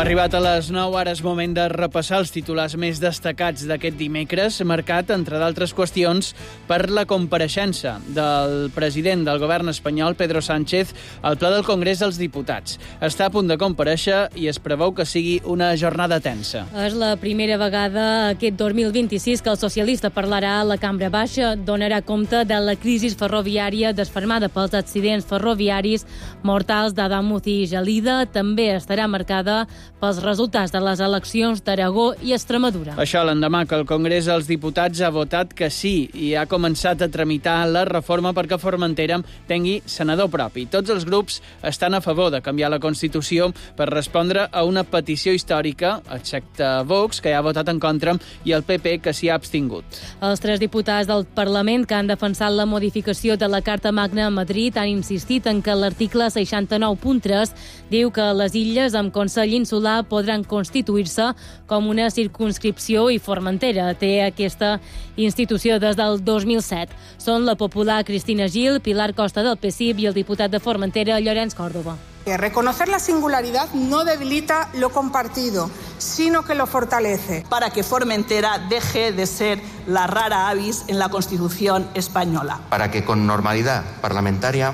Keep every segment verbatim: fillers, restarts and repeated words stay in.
arribat a les nou, ara és moment de repassar els titulars més destacats d'aquest dimecres, marcat, entre d'altres qüestions, per la compareixença del president del govern espanyol, Pedro Sánchez, al ple del Congrés dels Diputats. Està a punt de comparèixer i es preveu que sigui una jornada tensa. És la primera vegada aquest dos mil vint-i-sis que el socialista parlarà a la Cambra Baixa, donarà compte de la crisi ferroviària desfermada pels accidents ferroviaris mortals d'Adamuz i Gelida. També estarà marcada pels resultats de les eleccions d'Aragó i Extremadura. Això l'endemà que el Congrés dels Diputats ha votat que sí i ha començat a tramitar la reforma perquè Formentera tingui senador propi. Tots els grups estan a favor de canviar la Constitució per respondre a una petició històrica, excepte Vox, que ja ha votat en contra, i el P P, que s'hi ha abstingut. Els tres diputats del Parlament que han defensat la modificació de la Carta Magna a Madrid han insistit en que l'article seixanta-nou punt tres diu que les illes amb Consell Insular podran constituir-se com una circumscripció i Formentera té aquesta institució des del dos mil set. Són la popular Cristina Gil, Pilar Costa del P S I B i el diputat de Formentera, Llorenç Córdoba. Reconocer la singularidad no debilita lo compartido, sino que lo fortalece. Para que Formentera deje de ser la rara avis en la Constitución española. Para que con normalidad parlamentaria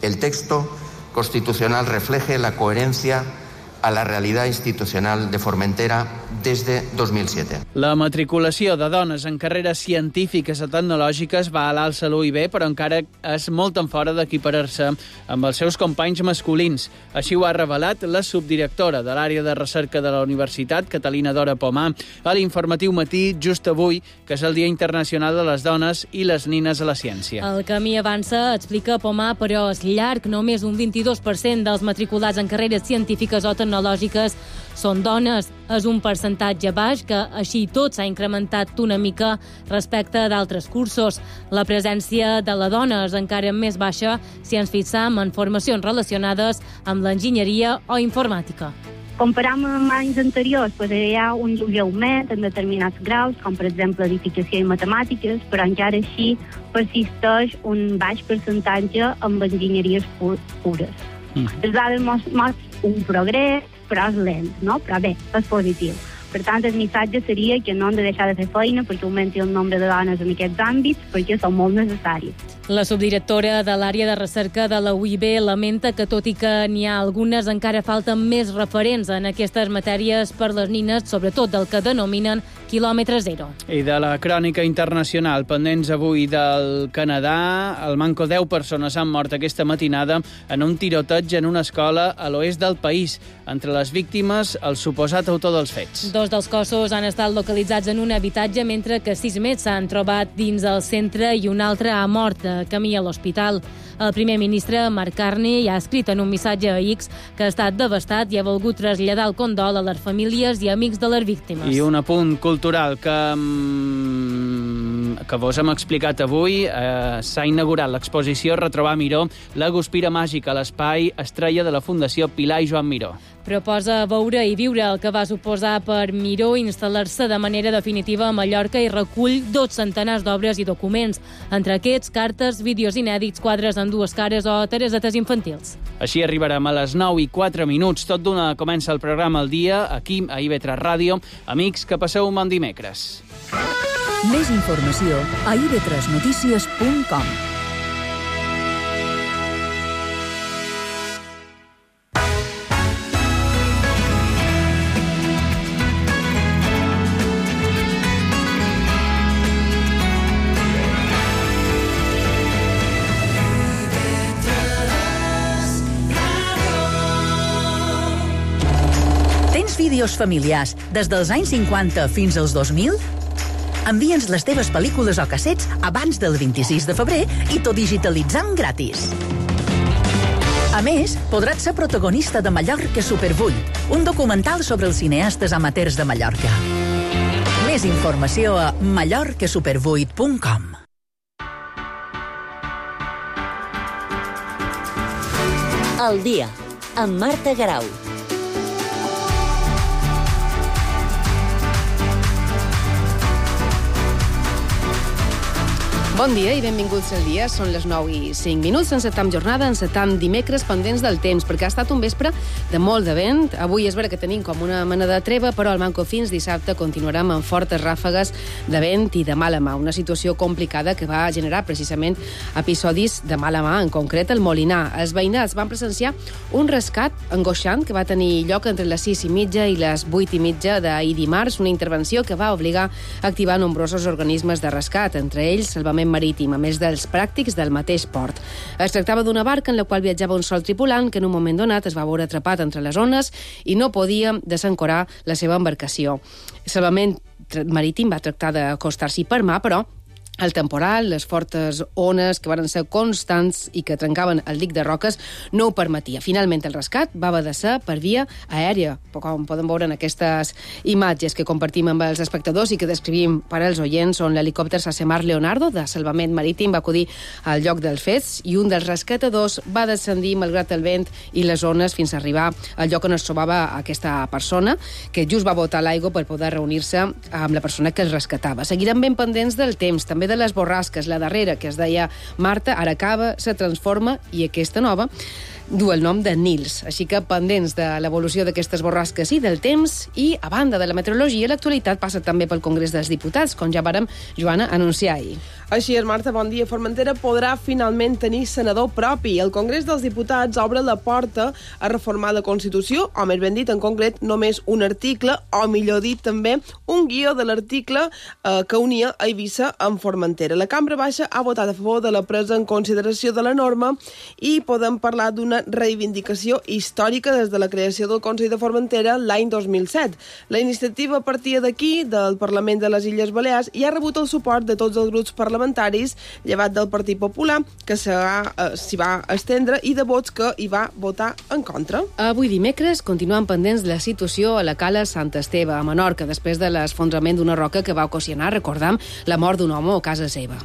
el texto constitucional refleje la coherencia a la realidad institucional de Formentera desde dos mil siete. La matriculació de dones en carreres científiques o tecnològiques va a l'alça a l'U I B, però encara és molt en fora d'equiparar-se amb els seus companys masculins. Així ho ha revelat la subdirectora de l'àrea de recerca de la universitat, Catalina Dora Pomar, a l'informatiu Matí, just avui, que és el Dia Internacional de les Dones i les Nines a la Ciència. El camí avança, explica Pomar, però és llarg. Només un vint-i-dos per cent dels matriculats en carreres científiques o tecnològiques són dones. És un percentatge baix que, així i tot, s'ha incrementat una mica respecte d'altres cursos. La presència de la dona és encara més baixa si ens fixam en formacions relacionades amb l'enginyeria o informàtica. Comparam amb anys anteriors, doncs hi ha un lleuger augment en determinats graus, com per exemple edificació i matemàtiques, però encara així persisteix un baix percentatge amb enginyeries pures. Mm. Les dades mostren un progrés, però és lent, no? Però bé, és positiu. Per tant, el missatge seria que no hem de deixar de fer feina perquè augmenti el nombre de dones en aquests àmbits, perquè són molt necessaris. La subdirectora de l'àrea de recerca de la U I B lamenta que, tot i que n'hi ha algunes, encara falten més referents en aquestes matèries per les nines, sobretot del que denominen quilòmetre zero. I de la crònica internacional, pendents avui del Canadà, al Manco deu persones han mort aquesta matinada en un tiroteig en una escola a l'oest del país. Entre les víctimes, el suposat autor dels fets. Dos dels cossos han estat localitzats en un habitatge, mentre que sis més s'han trobat dins el centre i un altre ha mort de camí a l'hospital. El primer ministre, Mark Carney, ja ha escrit en un missatge a X que ha estat devastat i ha volgut traslladar el condol a les famílies i amics de les víctimes. I un apunt cultural que, que vos hem explicat avui. Eh, s'ha inaugurat l'exposició Retrobar Miró, la guspira màgica a l'espai Estrella de la Fundació Pilar i Joan Miró. Proposa veure i viure el que va suposar per Miró instal·lar-se de manera definitiva a Mallorca i recull dos centenars d'obres i documents. Entre aquests, cartes, vídeos inèdits, quadres amb dues cares o taresetes infantils. Així arribarem a les nou i quatre minuts. Tot d'una comença el programa al dia, aquí a I V tres Ràdio. Amics, que passeu un bon dimecres. Més informació a i ve tres notícies punt com. Vídeos familiars des dels anys cinquanta fins als dos mil? Envia'ns les teves pel·lícules o cassets abans del vint-i-sis de febrer i t'ho digitalitzam gratis. A més, podràs ser protagonista de Mallorca Super vuit, un documental sobre els cineastes amateurs de Mallorca. Més informació a mallorca super vuit punt com. El dia, amb Marta Garau. Bon dia i benvinguts al dia. Són les nou i cinc minuts. Encetam jornada, encetam dimecres pendents del temps, perquè ha estat un vespre de molt de vent. Avui és vera que tenim com una mena de treva, però al manco fins dissabte continuarem amb fortes ràfegues de vent i de mala mà. Una situació complicada que va generar precisament episodis de mala mà, en concret el Molinar. Els veïnats van presenciar un rescat angoixant que va tenir lloc entre les sis i mitja i les vuit i mitja d'ahir dimarts, una intervenció que va obligar a activar nombrosos organismes de rescat, entre ells Salvament Marítim, a més dels pràctics del mateix port. Es tractava d'una barca en la qual viatjava un sol tripulant que en un moment donat es va veure atrapat entre les ones i no podia desancorar la seva embarcació. Salvament Marítim va tractar d'acostar-s'hi per mà, però el temporal, les fortes ones que van ser constants i que trencaven el dic de roques no ho permetia. Finalment, el rescat va haver de ser per via aèria, com poden veure en aquestes imatges que compartim amb els espectadors i que descrivim per als oients, on l'helicòpter Sasemar Leonardo de Salvament Marítim va acudir al lloc dels fets i un dels rescatadors va descendir malgrat el vent i les ones fins a arribar al lloc on es trobava aquesta persona, que just va botar l'aigua per poder reunir-se amb la persona que el rescatava. Seguirem ben pendents del temps, també de les borrasques. La darrera, que es deia Marta, ara acaba, se transforma i aquesta nova du el nom de Nils. Així que pendents de l'evolució d'aquestes borrasques i del temps, i a banda de la meteorologia, l'actualitat passa també pel Congrés dels Diputats, com ja vàrem, Joana, anunciar ahir. Així és, Marta, bon dia. Formentera podrà finalment tenir senador propi. El Congrés dels Diputats obre la porta a reformar la Constitució, o més ben dit, en concret, només un article, o millor dit també, un guió de l'article eh, que unia Eivissa amb Formentera. La Cambra Baixa ha votat a favor de la presa en consideració de la norma i podem parlar d'una reivindicació històrica des de la creació del Consell de Formentera l'any dos mil set. La iniciativa partia d'aquí, del Parlament de les Illes Balears, i ha rebut el suport de tots els grups parlamentaris, llevat del Partit Popular, que s'hi va estendre, i de vots que hi va votar en contra. Avui dimecres continuem pendents de la situació a la cala Sant Esteve, a Menorca, després de l'esfondrament d'una roca que va ocasionar, recordam, la mort d'un home a casa seva.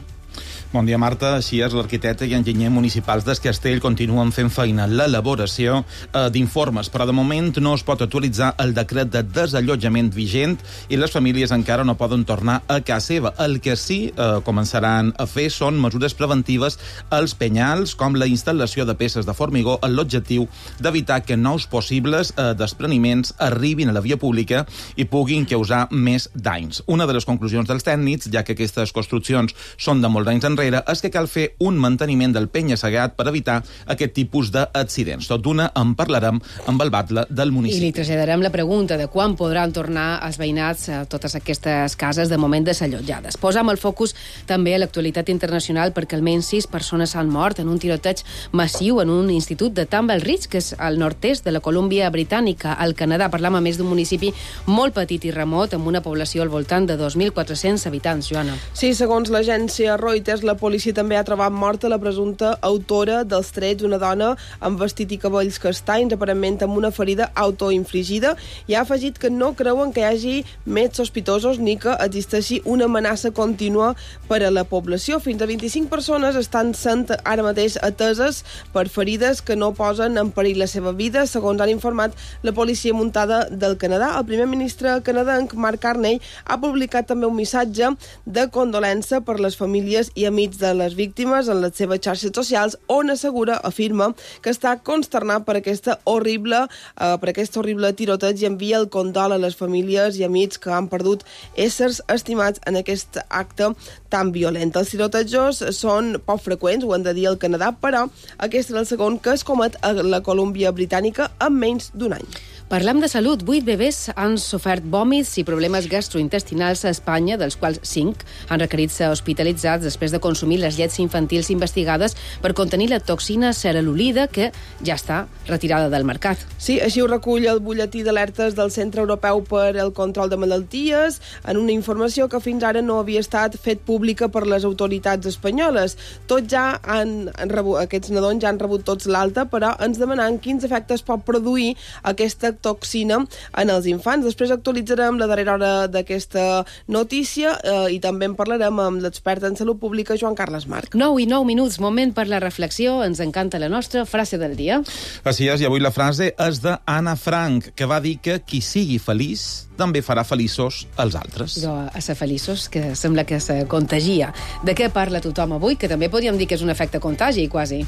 Bon dia, Marta. Així és, l'arquitecte i enginyer municipals d'Es Castell continuen fent feina en l'elaboració eh, d'informes, però de moment no es pot actualitzar el decret de desallotjament vigent i les famílies encara no poden tornar a casa seva. El que sí eh, començaran a fer són mesures preventives als penyals, com la instal·lació de peces de formigó, amb l'objectiu d'evitar que nous possibles eh, despreniments arribin a la via pública i puguin causar més danys. Una de les conclusions dels tècnics, ja que aquestes construccions són de molts anys enrere, és que cal fer un manteniment del penya-segat per evitar aquest tipus d'accidents. Tot d'una en parlarem amb el batlle del municipi. I li traslladarem la pregunta de quan podran tornar els veïnats a totes aquestes cases de moment desallotjades. Posam el focus també a l'actualitat internacional, perquè almenys sis persones han mort en un tiroteig massiu en un institut de Tumble Ridge, que és al nord-est de la Colúmbia Britànica, al Canadà. Parlam a més d'un municipi molt petit i remot, amb una població al voltant de dos mil quatre-cents habitants, Joana. Sí, segons l'agència Reuters, la policia també ha trobat morta la presumpta autora dels trets, una dona amb vestit i cabells castanys, aparentment amb una ferida autoinfligida, i ha afegit que no creuen que hi hagi més sospitosos ni que existeixi una amenaça contínua per a la població. Fins a vint-i-cinc persones estan sent ara mateix ateses per ferides que no posen en perill la seva vida, segons han informat la policia muntada del Canadà. El primer ministre canadenc, Mark Carney, ha publicat també un missatge de condolença per les famílies i amics de les víctimes en les seves xarxes socials, on assegura, afirma, que està consternat per aquesta horrible, eh, per aquest horrible tiroteig i envia el condol a les famílies i amics que han perdut éssers estimats en aquest acte tan violent. Els tirotejos són poc freqüents, ho han de dir al Canadà, però aquest és el segon que es comet a la Colúmbia Britànica en menys d'un any. Parlem de salut. Vuit bebès han sofert vòmits i problemes gastrointestinals a Espanya, dels quals cinc han requerit ser hospitalitzats després de consumir les llets infantils investigades per contenir la toxina ceralolida, que ja està retirada del mercat. Sí, així ho recull el butlletí d'alertes del Centre Europeu per al Control de Malalties, en una informació que fins ara no havia estat fet pública per les autoritats espanyoles. Tots ja han, han rebut, aquests nadons ja han rebut tots l'alta, però ens demanen quins efectes pot produir aquesta toxina en els infants. Després actualitzarem la darrera hora d'aquesta notícia eh, i també en parlarem amb l'expert en salut pública, Joan Carles Marc. nou i nou minuts, moment per la reflexió. Ens encanta la nostra frase del dia. Així és, i avui la frase és d'Anna Frank, que va dir que qui sigui feliç també farà feliços els altres. Però a ser feliços, que sembla que se contagia. De què parla tothom avui? Que també podríem dir que és un efecte contagi, quasi.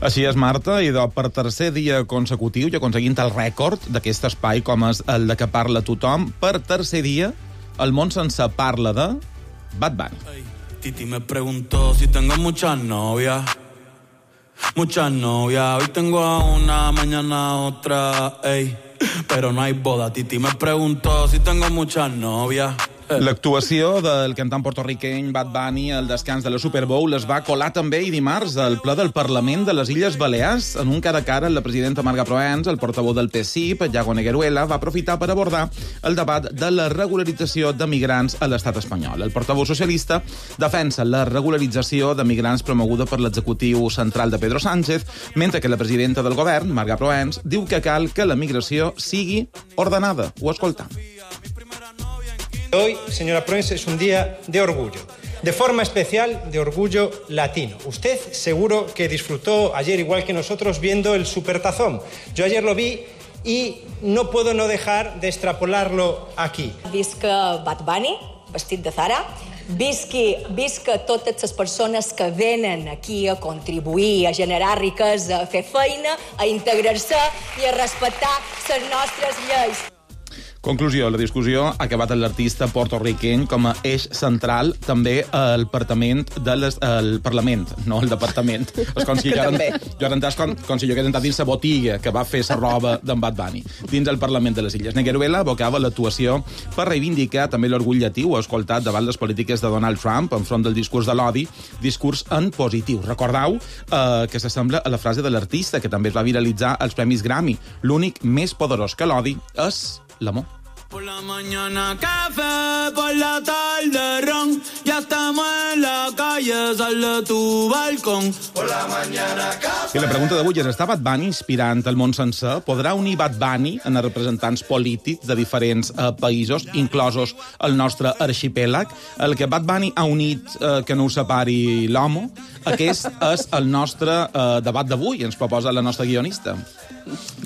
Així és, Marta, i de, per tercer dia consecutiu i aconseguint el rècord d'aquest espai com és el de què parla tothom, per tercer dia el món sense parla de Bad Bunny. Hey, Titi me preguntó si tengo muchas novias. Muchas novias. Hoy tengo a una, mañana a otra. Ey, pero no hay boda. Titi me preguntó si tengo muchas novias. L'actuació del cantant porto-riqueny Bad Bunny al descans de la Super Bowl es va colar també i dimarts al ple del Parlament de les Illes Balears. En un cara a cara, la presidenta Marga Proens, el portaveu del P S I, Yago Negueruela, va aprofitar per abordar el debat de la regularització de migrants a l'estat espanyol. El portaveu socialista defensa la regularització de migrants promoguda per l'executiu central de Pedro Sánchez, mentre que la presidenta del govern, Marga Proens, diu que cal que la migració sigui ordenada. Ho escoltam. Hoy, señora Proens, es un día de orgullo, de forma especial de orgullo latino. Usted seguro que disfrutó ayer, igual que nosotros, viendo el Supertazón. Yo ayer lo vi y no puedo no dejar de extrapolarlo aquí. Visca Bad Bunny, vestit de Zara, visqui, visca totes les persones que venen aquí a contribuir, a generar riquesa, a fer feina, a integrar-se i a respectar les nostres lleis. Conclusió, la discussió ha acabat amb l'artista porto-riqueny com a eix central també al Parlament, de les, al Parlament, no al Departament. És com si jo, jo he entès com, com si jo hagués entrat dins la botiga que va fer la roba d'en Bad Bunny, dins el Parlament de les Illes. Negueruela abocava l'actuació per reivindicar també l'orgull llatí, ho ha escoltat davant les polítiques de Donald Trump enfront del discurs de l'odi, discurs en positiu. Recordeu eh, que s'assembla a la frase de l'artista que també es va viralitzar als Premis Grammy. L'únic més poderós que l'odi és l'amor. Por la mañana café, por la tarde ron, ya estamos en la calle, sal de tu balcón. Por la mañana café. I la pregunta d'avui és, està Bad Bunny inspirant el món sencer? Podrà unir Bad Bunny en els representants polítics de diferents eh, països, inclosos el nostre arxipèlag? El que Bad Bunny ha unit eh, que no ho separi l'homo? Aquest és el nostre eh, debat d'avui, ens proposa la nostra guionista.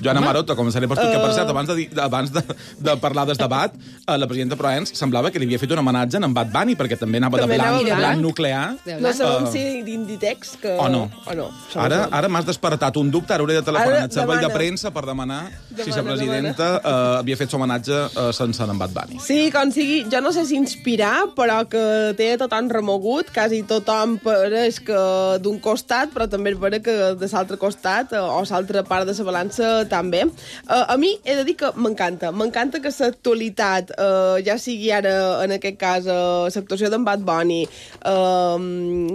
Joana Maroto, començaré per tu, que per cert, abans de, abans de, de parlar del debat, la presidenta Proens semblava que li havia fet un homenatge en Bad Bunny, perquè també anava també de blanc, anava blanc nuclear. No sabem uh, si d'Inditex que... O no. O no. Ara, ara m'has despertat un dubte, ara hauré de telefonar al servei de premsa per demanar demana, si la presidenta uh, havia fet l'homenatge uh, sense en Bad Bunny. Sí, com sigui, jo no sé si inspirar, però que té tothom remogut, quasi tothom pareix que d'un costat, però també és vera que de l'altre costat, o l'altra part de la balança també. Uh, a mi he de dir que m'encanta. M'encanta que l'actualitat, uh, ja sigui ara, en aquest cas, uh, l'actuació d'en Bad Bunny, uh,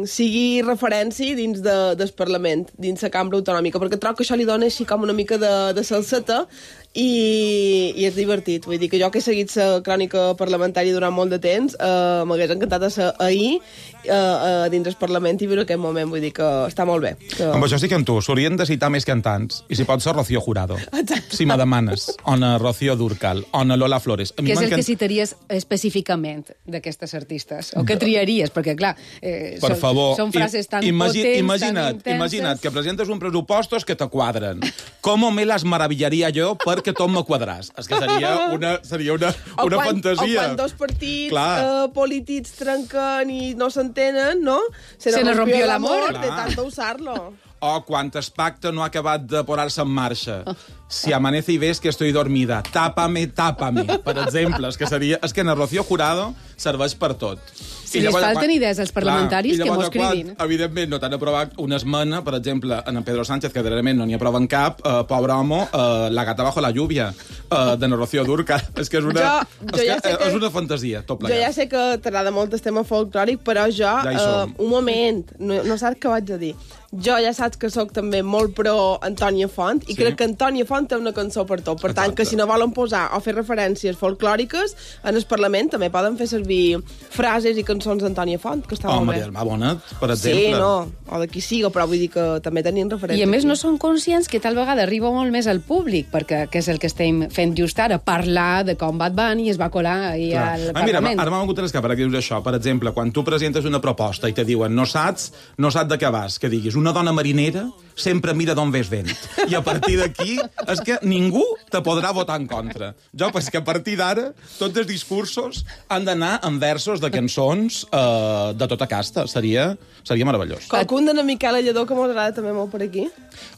sigui referència dins de, del Parlament, dins la cambra autonòmica, perquè trobo que això li dona així com una mica de, de salseta i, i és divertit. Vull dir que jo que he seguit la crònica parlamentària durant molt de temps, uh, m'hagués encantat de ser ahir uh, uh, dins del Parlament i viure aquest moment. Vull dir que està molt bé. Que... Amb això estic amb tu. S'haurien de citar més cantants. I si pot ser Rocío Jurado. Exacte. Si me demanes. O na Rocío Dúrcal. O na Lola Flores. Què és el que citaries específicament d'aquestes artistes? O què triaries? Perquè, clar, eh, per són, favor, són frases tan imagi potents, imagina't, tan intenses... Imagina't que presentes un pressupostos que te quadren. Com me las maravillaria jo perquè tot me quadràs? És que seria una, seria una, una quan, fantasia. O quan dos partits uh, polítics trenquen i no s'entenen, no? Se, Se nos rompió l'amor. de tanto usar-lo. O quan el pacte no ha acabat de posar-se en marxa. Si amanece y ves que estoy dormida, tápame, tápame, per exemple. És que, seria, és que en el Rocío Jurado serveix per tot. Si I llavors, les falten quan, idees als parlamentaris, clar, que mos cridin. Quan, evidentment, no t'han aprovat una esmena, per exemple, en en Pedro Sánchez, que darrerament no n'hi aproven cap, uh, pobre homo, uh, la gata bajo la lluvia, uh, de Rocío Dúrcal. És que és una, jo, jo és, ja que, que, és una fantasia, tot plegat. Jo ja sé que t'agrada molt el tema folclòric, però jo, ja uh, un moment, no, no saps què vaig a dir. jo ja saps que sóc també molt pro Antònia Font, i sí. crec que Antònia Font té una cançó per tot. Per Exacte. tant, que si no volen posar o fer referències folclòriques, en el Parlament també poden fer servir frases i cançons d'Antònia Font, que està oh, molt bé. Maria Almà Bonet, per exemple. Sí, no, o de qui siga, però vull dir que també tenien referències. I a més no són conscients que tal vegada arriba molt més al públic, perquè que és el que estem fent just ara, parlar de com Bad Bunny es va colar ahir Clar. al ah, mira, Parlament. Ara m'ha vingut a l'escapa, perquè dius això. Per exemple, quan tu presentes una proposta i te diuen no saps, no saps de què vas, que diguis una dona marinera sempre mira d'on ves vent. I a partir d'aquí és que ningú te podrà votar en contra. Jo penso que a partir d'ara tots els discursos han d'anar en versos de cançons eh, de tota casta. Seria, seria meravellós. Qualcun d'en Miquel Lledó que m'agrada també molt per aquí?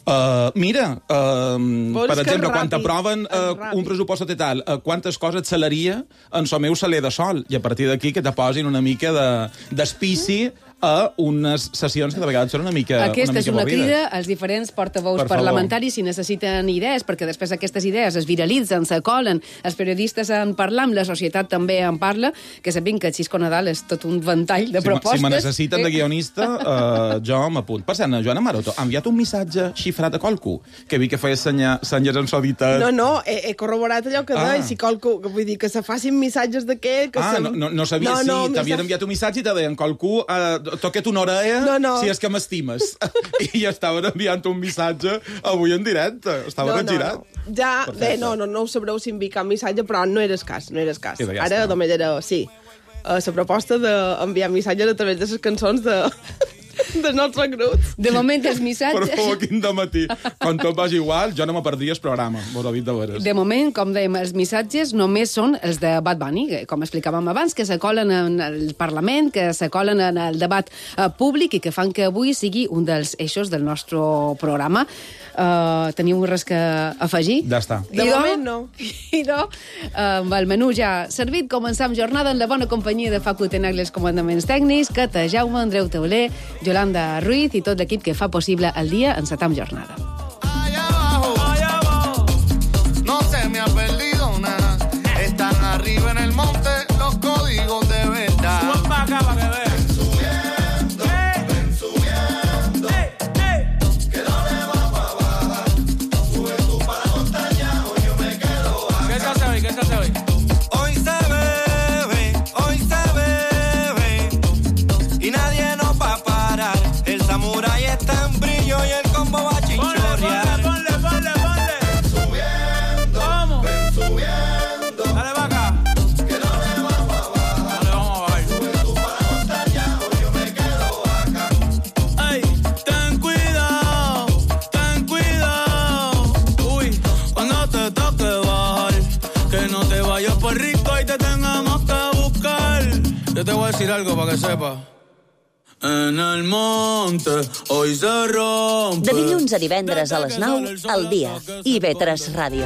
Uh, mira, uh, per exemple, quan t'aproven uh, un pressupost total, uh, quantes coses salaria en so meu saler de sol, i a partir d'aquí que te posin una mica d'espici de, a unes sessions que de vegades són una mica Aquesta una és mica una avorrides. crida als diferents portaveus per parlamentaris si necessiten idees, perquè després aquestes idees es viralitzen, s'acolen, els periodistes en parlen, la societat també en parla, que sapiguin que Xisco Nadal és tot un ventall de si propostes. Si me necessiten de guionista, uh, jo m'apunt. Per cert, la Joana Maroto ha enviat un missatge xifrat a qualcú, que vi que feia senya, senyes en soditat. No, no, he, he corroborat allò que ah. deia, si qualcú, vull dir, que se facin missatges d'aquest... Ah, se... no, no, no sabia, no, sí, no, t'havien enviat un missatge i te deien qualcú, uh, toquet una orella no, no. si és que m'estimes. I estaven enviant un missatge avui en directe. Estaven no, engirat. No, no. Ja, Perfecte. bé, no, no, no ho sabreu si enviar cap missatge, però no era escàs, no era escàs. Sí, ja Ara està. només era, sí, uh, la proposta d'enviar missatges a través de les cançons de... del nostre grup. De moment, els missatges... Per favor, quin dematí. Quan tot vagi igual, jo no me perdria el programa. Vos ho he dit de veres. De moment, com dèiem, els missatges només són els de Bad Bunny, com explicàvem abans, que s'acolen en el Parlament, que s'acolen en el debat uh, públic i que fan que avui sigui un dels eixos del nostre programa. Uh, teniu res que afegir? Ja està. De moment, no. I no, uh, amb el menú ja servit, començam jornada en la bona companyia de Facu Tenagli, els comandaments tècnics, Cata Jaume, Andreu Teuler, Yolanda Ruiz i tot l'equip que fa possible el dia en Satam Jornada. Allá abajo, allá abajo, no se me ha perdido nada. Están arriba en el monte los códigos de verdad. Suban para acá para que vean. Ven subiendo, hey. ven subiendo. Hey, hey. Que no le vamos a bajar. Sube tú para la montaña o yo me quedo acá. ¿Qué se hace hoy? ¿Qué se hace hoy? Hoy se bebe, hoy se bebe y nadie nos va a parar. El samurái está en brillo y el combo va a chinchorrear. Ponle, ponle, ponle, ponle. Ven subiendo, ¿Cómo? ven subiendo. Dale para acá. Que no le vamos a bajar. No le vamos a bajar. Sube tú para la montaña o yo me quedo acá. Ay, ten cuidado, ten cuidado. Uy, cuando te toque bajar, que no te vayas por rico y te tengamos que buscar. Yo te voy a decir algo para que sepas. En el monte, hoy se rompe. De dilluns a divendres a les nou, al dia. I ve tres Ràdio.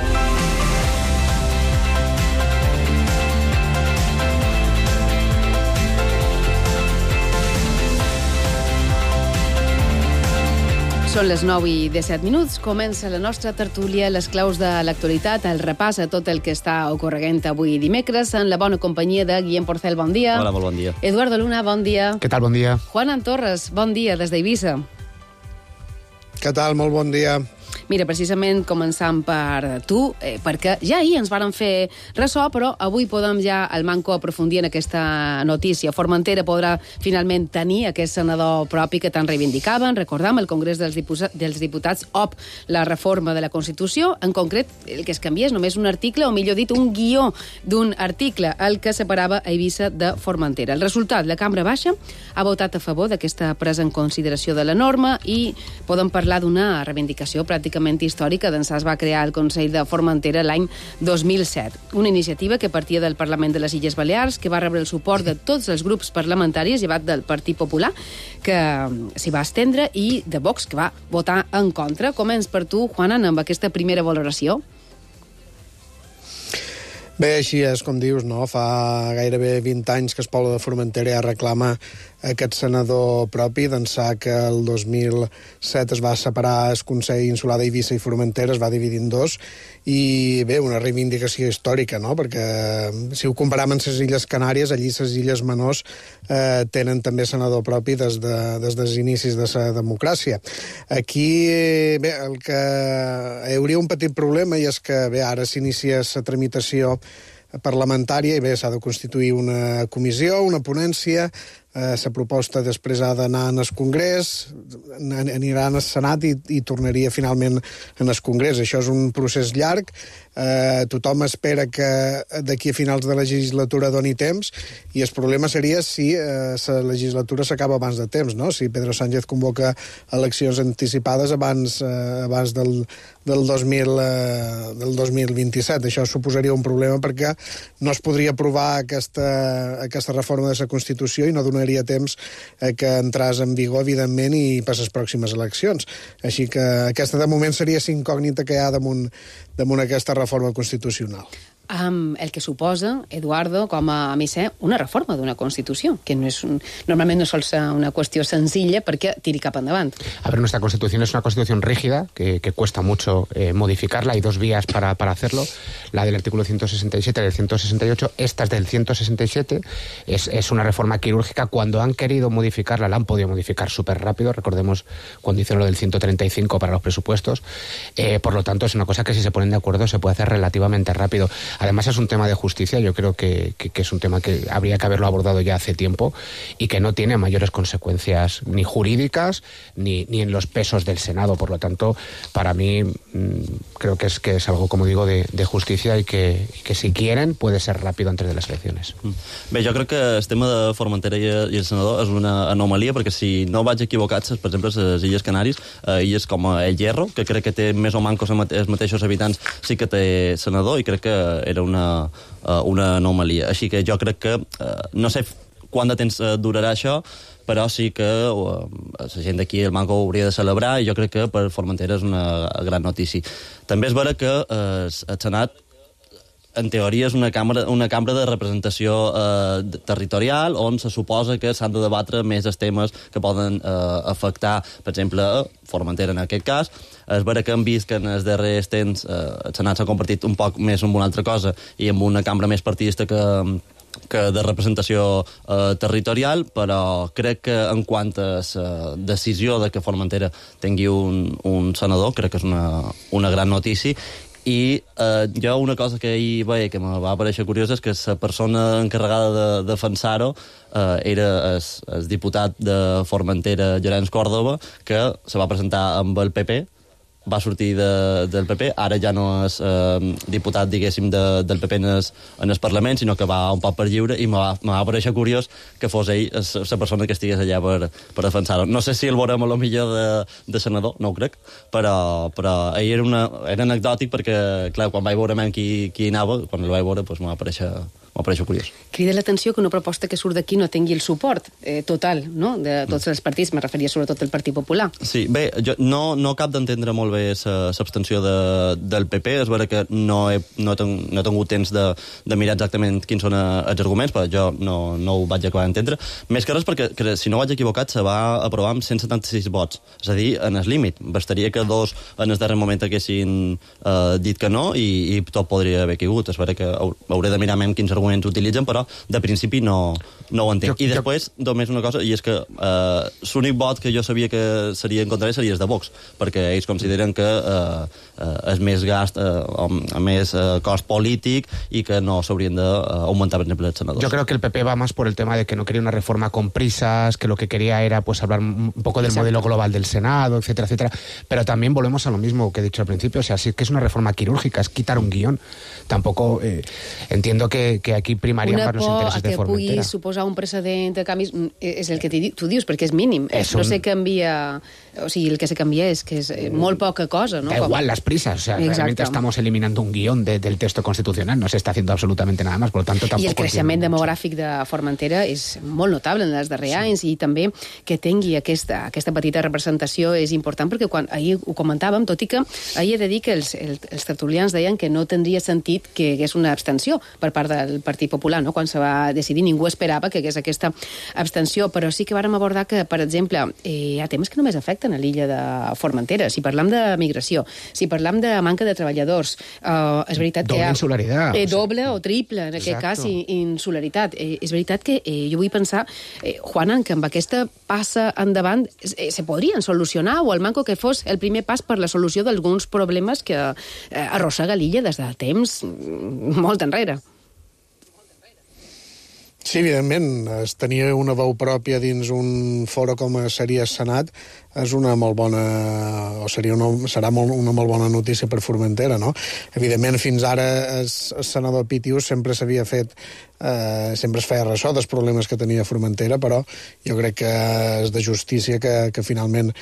Són les nou i disset minuts. Comença la nostra tertúlia, les claus de l'actualitat, el repàs a tot el que està ocorreguent avui dimecres, en la bona companyia de Guillem Porcel, bon dia. Hola, molt bon dia. Eduardo Luna, bon dia. Què tal, bon dia. Juan Torres, bon dia, des d'Eivissa. Què tal, molt bon dia. Mira, precisament començant per tu, eh, perquè ja ahir ens varen fer ressò, però avui podem ja al manco aprofundir en aquesta notícia. Formentera podrà finalment tenir aquest senador propi que tant reivindicaven. Recordam, el Congrés dels, Diputats, dels Diputats op la reforma de la Constitució. En concret, el que es canvia és només un article, o millor dit, un guió d'un article, el que separava a Eivissa de Formentera. El resultat, la Cambra Baixa ha votat a favor d'aquesta presa en consideració de la norma i podem parlar d'una reivindicació pràcticament històrica d'ençà es va crear el Consell de Formentera l'any dos mil set. Una iniciativa que partia del Parlament de les Illes Balears, que va rebre el suport de tots els grups parlamentaris, llevat del Partit Popular, que s'hi va estendre, i de Vox, que va votar en contra. Començ per tu, Juanan, amb aquesta primera valoració. Bé, així és, com dius, no? Fa gairebé vint anys que el poble de Formentera ja reclama aquest senador propi, d'ençà que el dos mil set es va separar el Consell Insular d'Eivissa i Formentera, es va dividir en dos, i bé, una reivindicació històrica, no? Perquè si ho comparem amb les Illes Canàries, allí les Illes Menors eh, tenen també senador propi des, de, des dels inicis de la democràcia. Aquí, bé, el que hi hauria un petit problema i és que, bé, ara s'inicia la tramitació parlamentària i bé, s'ha de constituir una comissió, una ponència, eh, la proposta després ha d'anar al Congrés, anirà al Senat i, i tornaria finalment en el Congrés. Això és un procés llarg, eh, tothom espera que d'aquí a finals de legislatura doni temps i el problema seria si eh, la legislatura s'acaba abans de temps, no? Si Pedro Sánchez convoca eleccions anticipades abans, eh, abans del, del, dos mil, eh, del dos mil vint-i-set. Això suposaria un problema perquè no es podria aprovar aquesta, aquesta reforma de la Constitució i no donaria temps eh, que entràs en vigor, evidentment, i per les pròximes eleccions. Així que aquesta, de moment, seria la incògnita que hi ha damunt, damunt aquesta reforma constitucional. Um, el que suposa, Eduardo, com a misser, una reforma d'una Constitució, que no és un, normalment no sol ser una qüestió senzilla perquè tiri cap endavant. A ver, nuestra Constitución es una Constitución rígida, que, que cuesta mucho eh, modificarla. Hay dos vías para, para hacerlo, la del artículo ciento sesenta y siete y del ciento sesenta y ocho. Esta es del ciento sesenta y siete, es, es una reforma quirúrgica. Cuando han querido modificarla, la han podido modificar súper rápido. Recordemos cuando hicieron lo del ciento treinta y cinco para los presupuestos. Eh, por lo tanto, es una cosa que si se ponen de acuerdo se puede hacer relativamente rápido. Además, es un tema de justicia, yo creo que, que, que es un tema que habría que haberlo abordado ya hace tiempo y que no tiene mayores consecuencias ni jurídicas ni, ni en los pesos del Senado. Por lo tanto, para mí mmm, creo que es, que es algo, como digo, de, de justicia y que, y que si quieren puede ser rápido antes de las elecciones. Bé, jo crec que el tema de Formentera i, i el senador és una anomalia perquè si no vaig equivocat, per exemple, les Illes Canàries, eh, illes com El Hierro, que crec que té més o manco els mateixos habitants, sí que té senador i crec que era una una anomalia. Així que jo crec que eh, no sé quant de temps durarà això, però sí que uh, la gent d'aquí el Manco hauria de celebrar i jo crec que per Formentera és una gran notícia. També és vera que eh, el Senat en teoria és una cambra, una cambra de representació eh, territorial on se suposa que s'han de debatre més els temes que poden eh, afectar, per exemple, Formentera en aquest cas. És vera que hem vist que en els darrers temps eh, el Senat s'ha convertit un poc més en una altra cosa i en una cambra més partidista que, que de representació eh, territorial, però crec que en quant a la decisió de que Formentera tingui un, un senador, crec que és una, una gran notícia. I eh, jo una cosa que ahir veia que me va aparèixer curiosa és que la persona encarregada de defensar-ho eh, era el, el diputat de Formentera, Llorenç Còrdova, que se va presentar amb el P P, va sortir de, del P P, ara ja no és eh, diputat, diguéssim, de, del P P en el, en el Parlament, sinó que va un poc per lliure, i me va, me va aparèixer curiós que fos ell la persona que estigués allà per, per defensar-ho. No sé si el veurem a lo millor de, de senador, no ho crec, però, però ell era, una, era anecdòtic perquè, clar, quan vaig veure qui, qui anava, quan el vaig veure, doncs me va aparèixer... m'apareix curiós. Crida l'atenció que una proposta que surt d'aquí no tingui el suport eh, total, no?, de tots els partits, me referia sobretot al Partit Popular. Sí, bé, jo no, no cap d'entendre molt bé l'abstenció de, del P P, és vera que no he, no he, ten, no he tingut temps de, de mirar exactament quins són els arguments, però jo no, no ho vaig acabar d'entendre. Més que res perquè, que, si no vaig equivocat, se va aprovar amb cent setanta-sis vots, és a dir, en el límit. Bastaria que dos en el darrer moment haguessin eh, dit que no i, i tot podria haver caigut. És vera que hauré de mirar més quins arguments utilitzen, però de principi no, no ho entenc. Jo, I després, jo... només una cosa, i és que eh, l'únic vot que jo sabia que seria en contra seria el de Vox, perquè ells consideren que eh, eh, és més gast, eh, més eh, cost polític i que no s'haurien d'augmentar, per exemple, els senadors. Yo creo que el P P va más por el tema de que no quería una reforma con prisas, que lo que quería era pues hablar un poco del Exacto. modelo global del Senado, etcétera, etcétera. Pero también volvemos a lo mismo que he dicho al principio, o sea, sí que es una reforma quirúrgica, es quitar un guión. Tampoco eh, entiendo que, que aquí primarían más los intereses de Formentera. Una por que pugui suposar un precedent de canvis és el que tu dius, perquè és mínim. És un... No se canvia... O sigui, el que se canvia és que és molt poca cosa, ¿no? Da igual las prisas, o sea, Exacto. realmente estamos eliminando un guión de, del texto constitucional, no se está haciendo absolutamente nada más, por lo tanto tampoco... I el creixement demogràfic de Formentera és molt notable en els darrers sí. anys i també que tingui aquesta, aquesta petita representació és important perquè quan ahir ho comentàvem, tot i que ahir he de dir que els, els, els tertulians deien que no tindria sentit que hi hagués una abstenció per part del Partit Popular, no? Quan se va decidir ningú esperava s'esperava que hagués aquesta abstenció, però sí que vàrem abordar que, per exemple, eh, hi ha temes que només afecten a l'illa de Formentera. Si parlam de migració, si parlam de manca de treballadors, eh, és veritat doble que hi ha... insularitat. Eh, doble o triple, en aquest cas, insularitat. Eh, és veritat que eh, jo vull pensar, eh, Juana, que amb aquesta passa endavant eh, se podrien solucionar, o el manco que fos el primer pas per la solució d'alguns problemes que eh, arrossega l'illa des de temps molt enrere. Sí, evidentment, es tenia una veu pròpia dins un foro com seria Senat és una molt bona, o seria una, serà molt, una molt bona notícia per Formentera, no? Evidentment, fins ara el, el senador Pitius sempre s'havia fet, eh, sempre es feia ressò dels problemes que tenia Formentera, però jo crec que és de justícia que, que finalment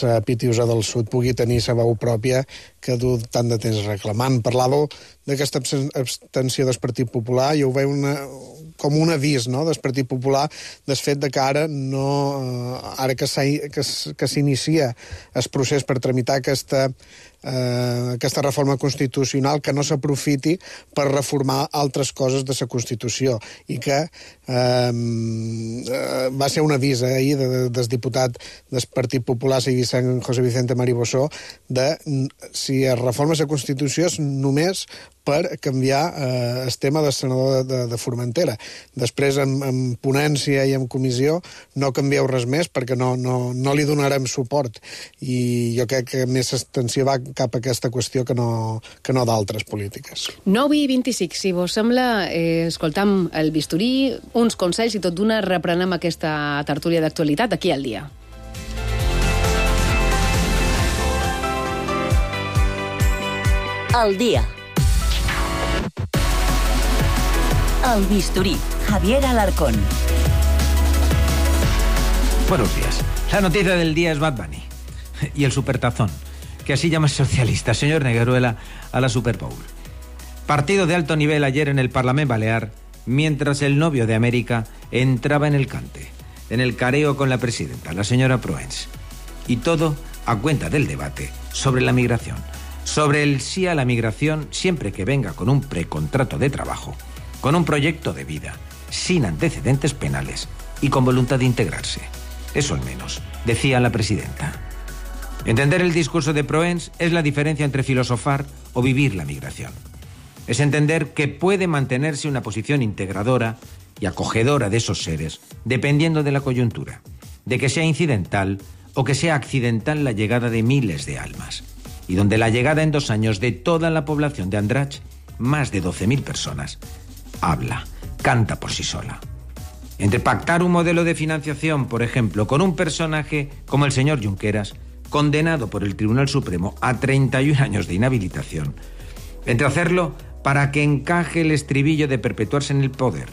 la Pitiusa del Sud pugui tenir la veu pròpia que du tant de temps reclamant. Parlàveu d'aquesta abstenció del Partit Popular, jo ho veig una, com un avís, no?, del Partit Popular, del fet de que ara no, ara que s'inicia el procés per tramitar aquesta, eh, aquesta reforma constitucional, que no s'aprofiti per reformar altres coses de la Constitució, i que eh, va ser un avís eh, ahir de, de, del diputat del Partit Popular, Vicent, José Vicente Maribossó, de si es reforma la Constitució és només per canviar eh, el tema del senador de, de, de Formentera. Després, en, en ponència i en comissió, no canvieu res més perquè no, no, no li donarem suport. I jo crec que més extensió va cap a aquesta qüestió que no, que no d'altres polítiques. nou i vint-i-cinc, si vos sembla, eh, escoltam el bisturí, uns consells i tot d'una reprenem aquesta tertúlia d'actualitat aquí al dia. Al dia. El bisturí. Javier Alarcón. Buenos días. La noticia del día es Bad Bunny y el supertazón, que así llama el socialista señor Negueruela a la Super Bowl. Partido de alto nivel ayer en el Parlamento Balear, mientras el novio de América entraba en el cante, en el careo con la presidenta, la señora Proens. Y todo a cuenta del debate sobre la migración, sobre el sí a la migración siempre que venga con un precontrato de trabajo, con un proyecto de vida, sin antecedentes penales y con voluntad de integrarse. Eso al menos, decía la presidenta. Entender el discurso de Proens es la diferencia entre filosofar o vivir la migración. Es entender que puede mantenerse una posición integradora y acogedora de esos seres, dependiendo de la coyuntura, de que sea incidental o que sea accidental la llegada de miles de almas, y donde la llegada en dos años de toda la población de Andratx, más de doce mil personas, habla, canta por sí sola. Entre pactar un modelo de financiación, por ejemplo, con un personaje como el señor Junqueras, condenado por el Tribunal Supremo a treinta y un años de inhabilitación, entre hacerlo para que encaje el estribillo de perpetuarse en el poder,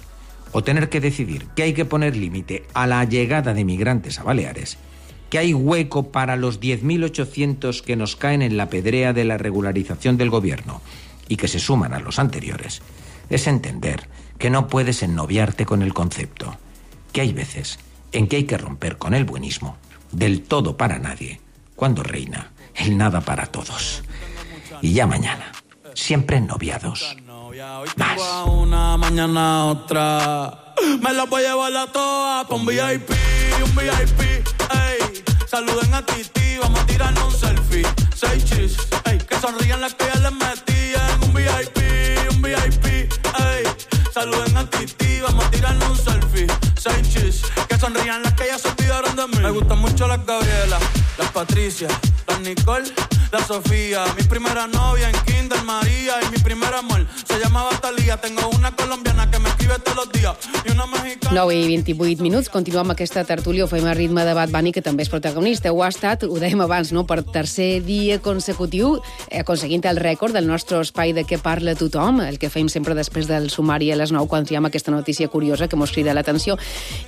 o tener que decidir que hay que poner límite a la llegada de migrantes a Baleares, que hay hueco para los diez mil ochocientos que nos caen en la pedrea de la regularización del gobierno y que se suman a los anteriores, es entender que no puedes ennoviarte con el concepto, que hay veces en que hay que romper con el buenismo, del todo para nadie, cuando reina el nada para todos. Y ya mañana, siempre ennoviados. Más. Una, mañana otra. Me la voy a llevar a todas pa' un V I P, un V I P, ey. Saluden a Titi, vamos a tirarnos un selfie. Seis chis, ey. Que sonrían las que ya les metían. Un V I P, un V I P, ey. Saluden a Titi, vamos a tirarnos un selfie. Seis chis, que sonrían las que ya se olvidaron de mí. Me gustan mucho las Gabriela, las Patricia, las Nicole, la Sofía. Mi primera novia en Kinder María y mi primer amor se llamaba Talía. Tengo una colombiana que me escribe todos los días y una mexicana... nou i vint-i-vuit minuts, continuem amb aquesta tertúlia, ho fem a ritme de Bad Bunny, que també és protagonista. Ho ha estat, ho dèiem abans, no?, per tercer dia consecutiu, eh, aconseguint el rècord del nostre espai de què parla tothom, el que fem sempre després del sumari a les nou, quan triem aquesta notícia curiosa que mos crida l'atenció.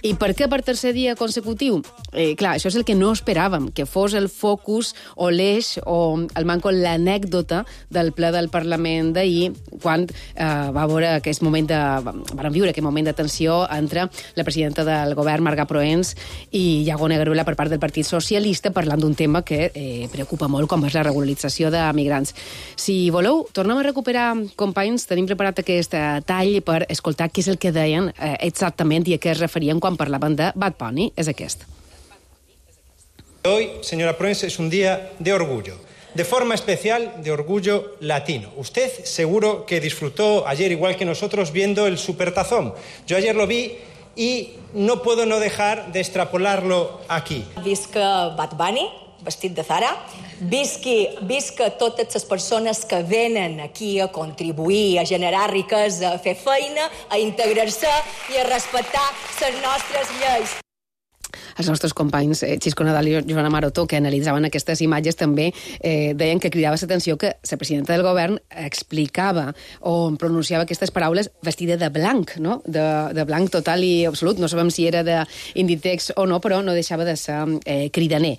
I per què per tercer dia consecutiu? Eh, clar, això és el que no esperàvem, que fos el focus o l'eix o el manco l'anècdota del ple del Parlament d'ahir, quan eh, va veure aquest moment de... van viure aquest moment de tensió entre la presidenta del govern, Marga Proens, i Iago Negaruela per part del Partit Socialista, parlant d'un tema que eh, preocupa molt, com és la regularització de migrants. Si voleu, tornem a recuperar, companys, tenim preparat aquest tall per escoltar què és el que deien eh, exactament i a què es referien quan parlaven de Bad Bunny. És aquest. Hoy, señora Proens, es un día de orgullo, de forma especial de orgullo latino. Usted seguro que disfrutó ayer, igual que nosotros, viendo el Supertazón. Yo ayer lo vi y no puedo no dejar de extrapolarlo aquí. Visca Bad Bunny, vestit de Zara, visqui, visca totes les persones que venen aquí a contribuir, a generar riquesa, a fer feina, a integrar-se i a respectar les nostres lleis. Els nostres companys eh, Xisco Nadal i Joana Maroto, que analitzaven aquestes imatges, també eh, deien que cridava l'atenció que la presidenta del govern explicava o pronunciava aquestes paraules vestida de blanc, no? De, de blanc total i absolut. No sabem si era d'Inditex o no, però no deixava de ser eh, cridaner.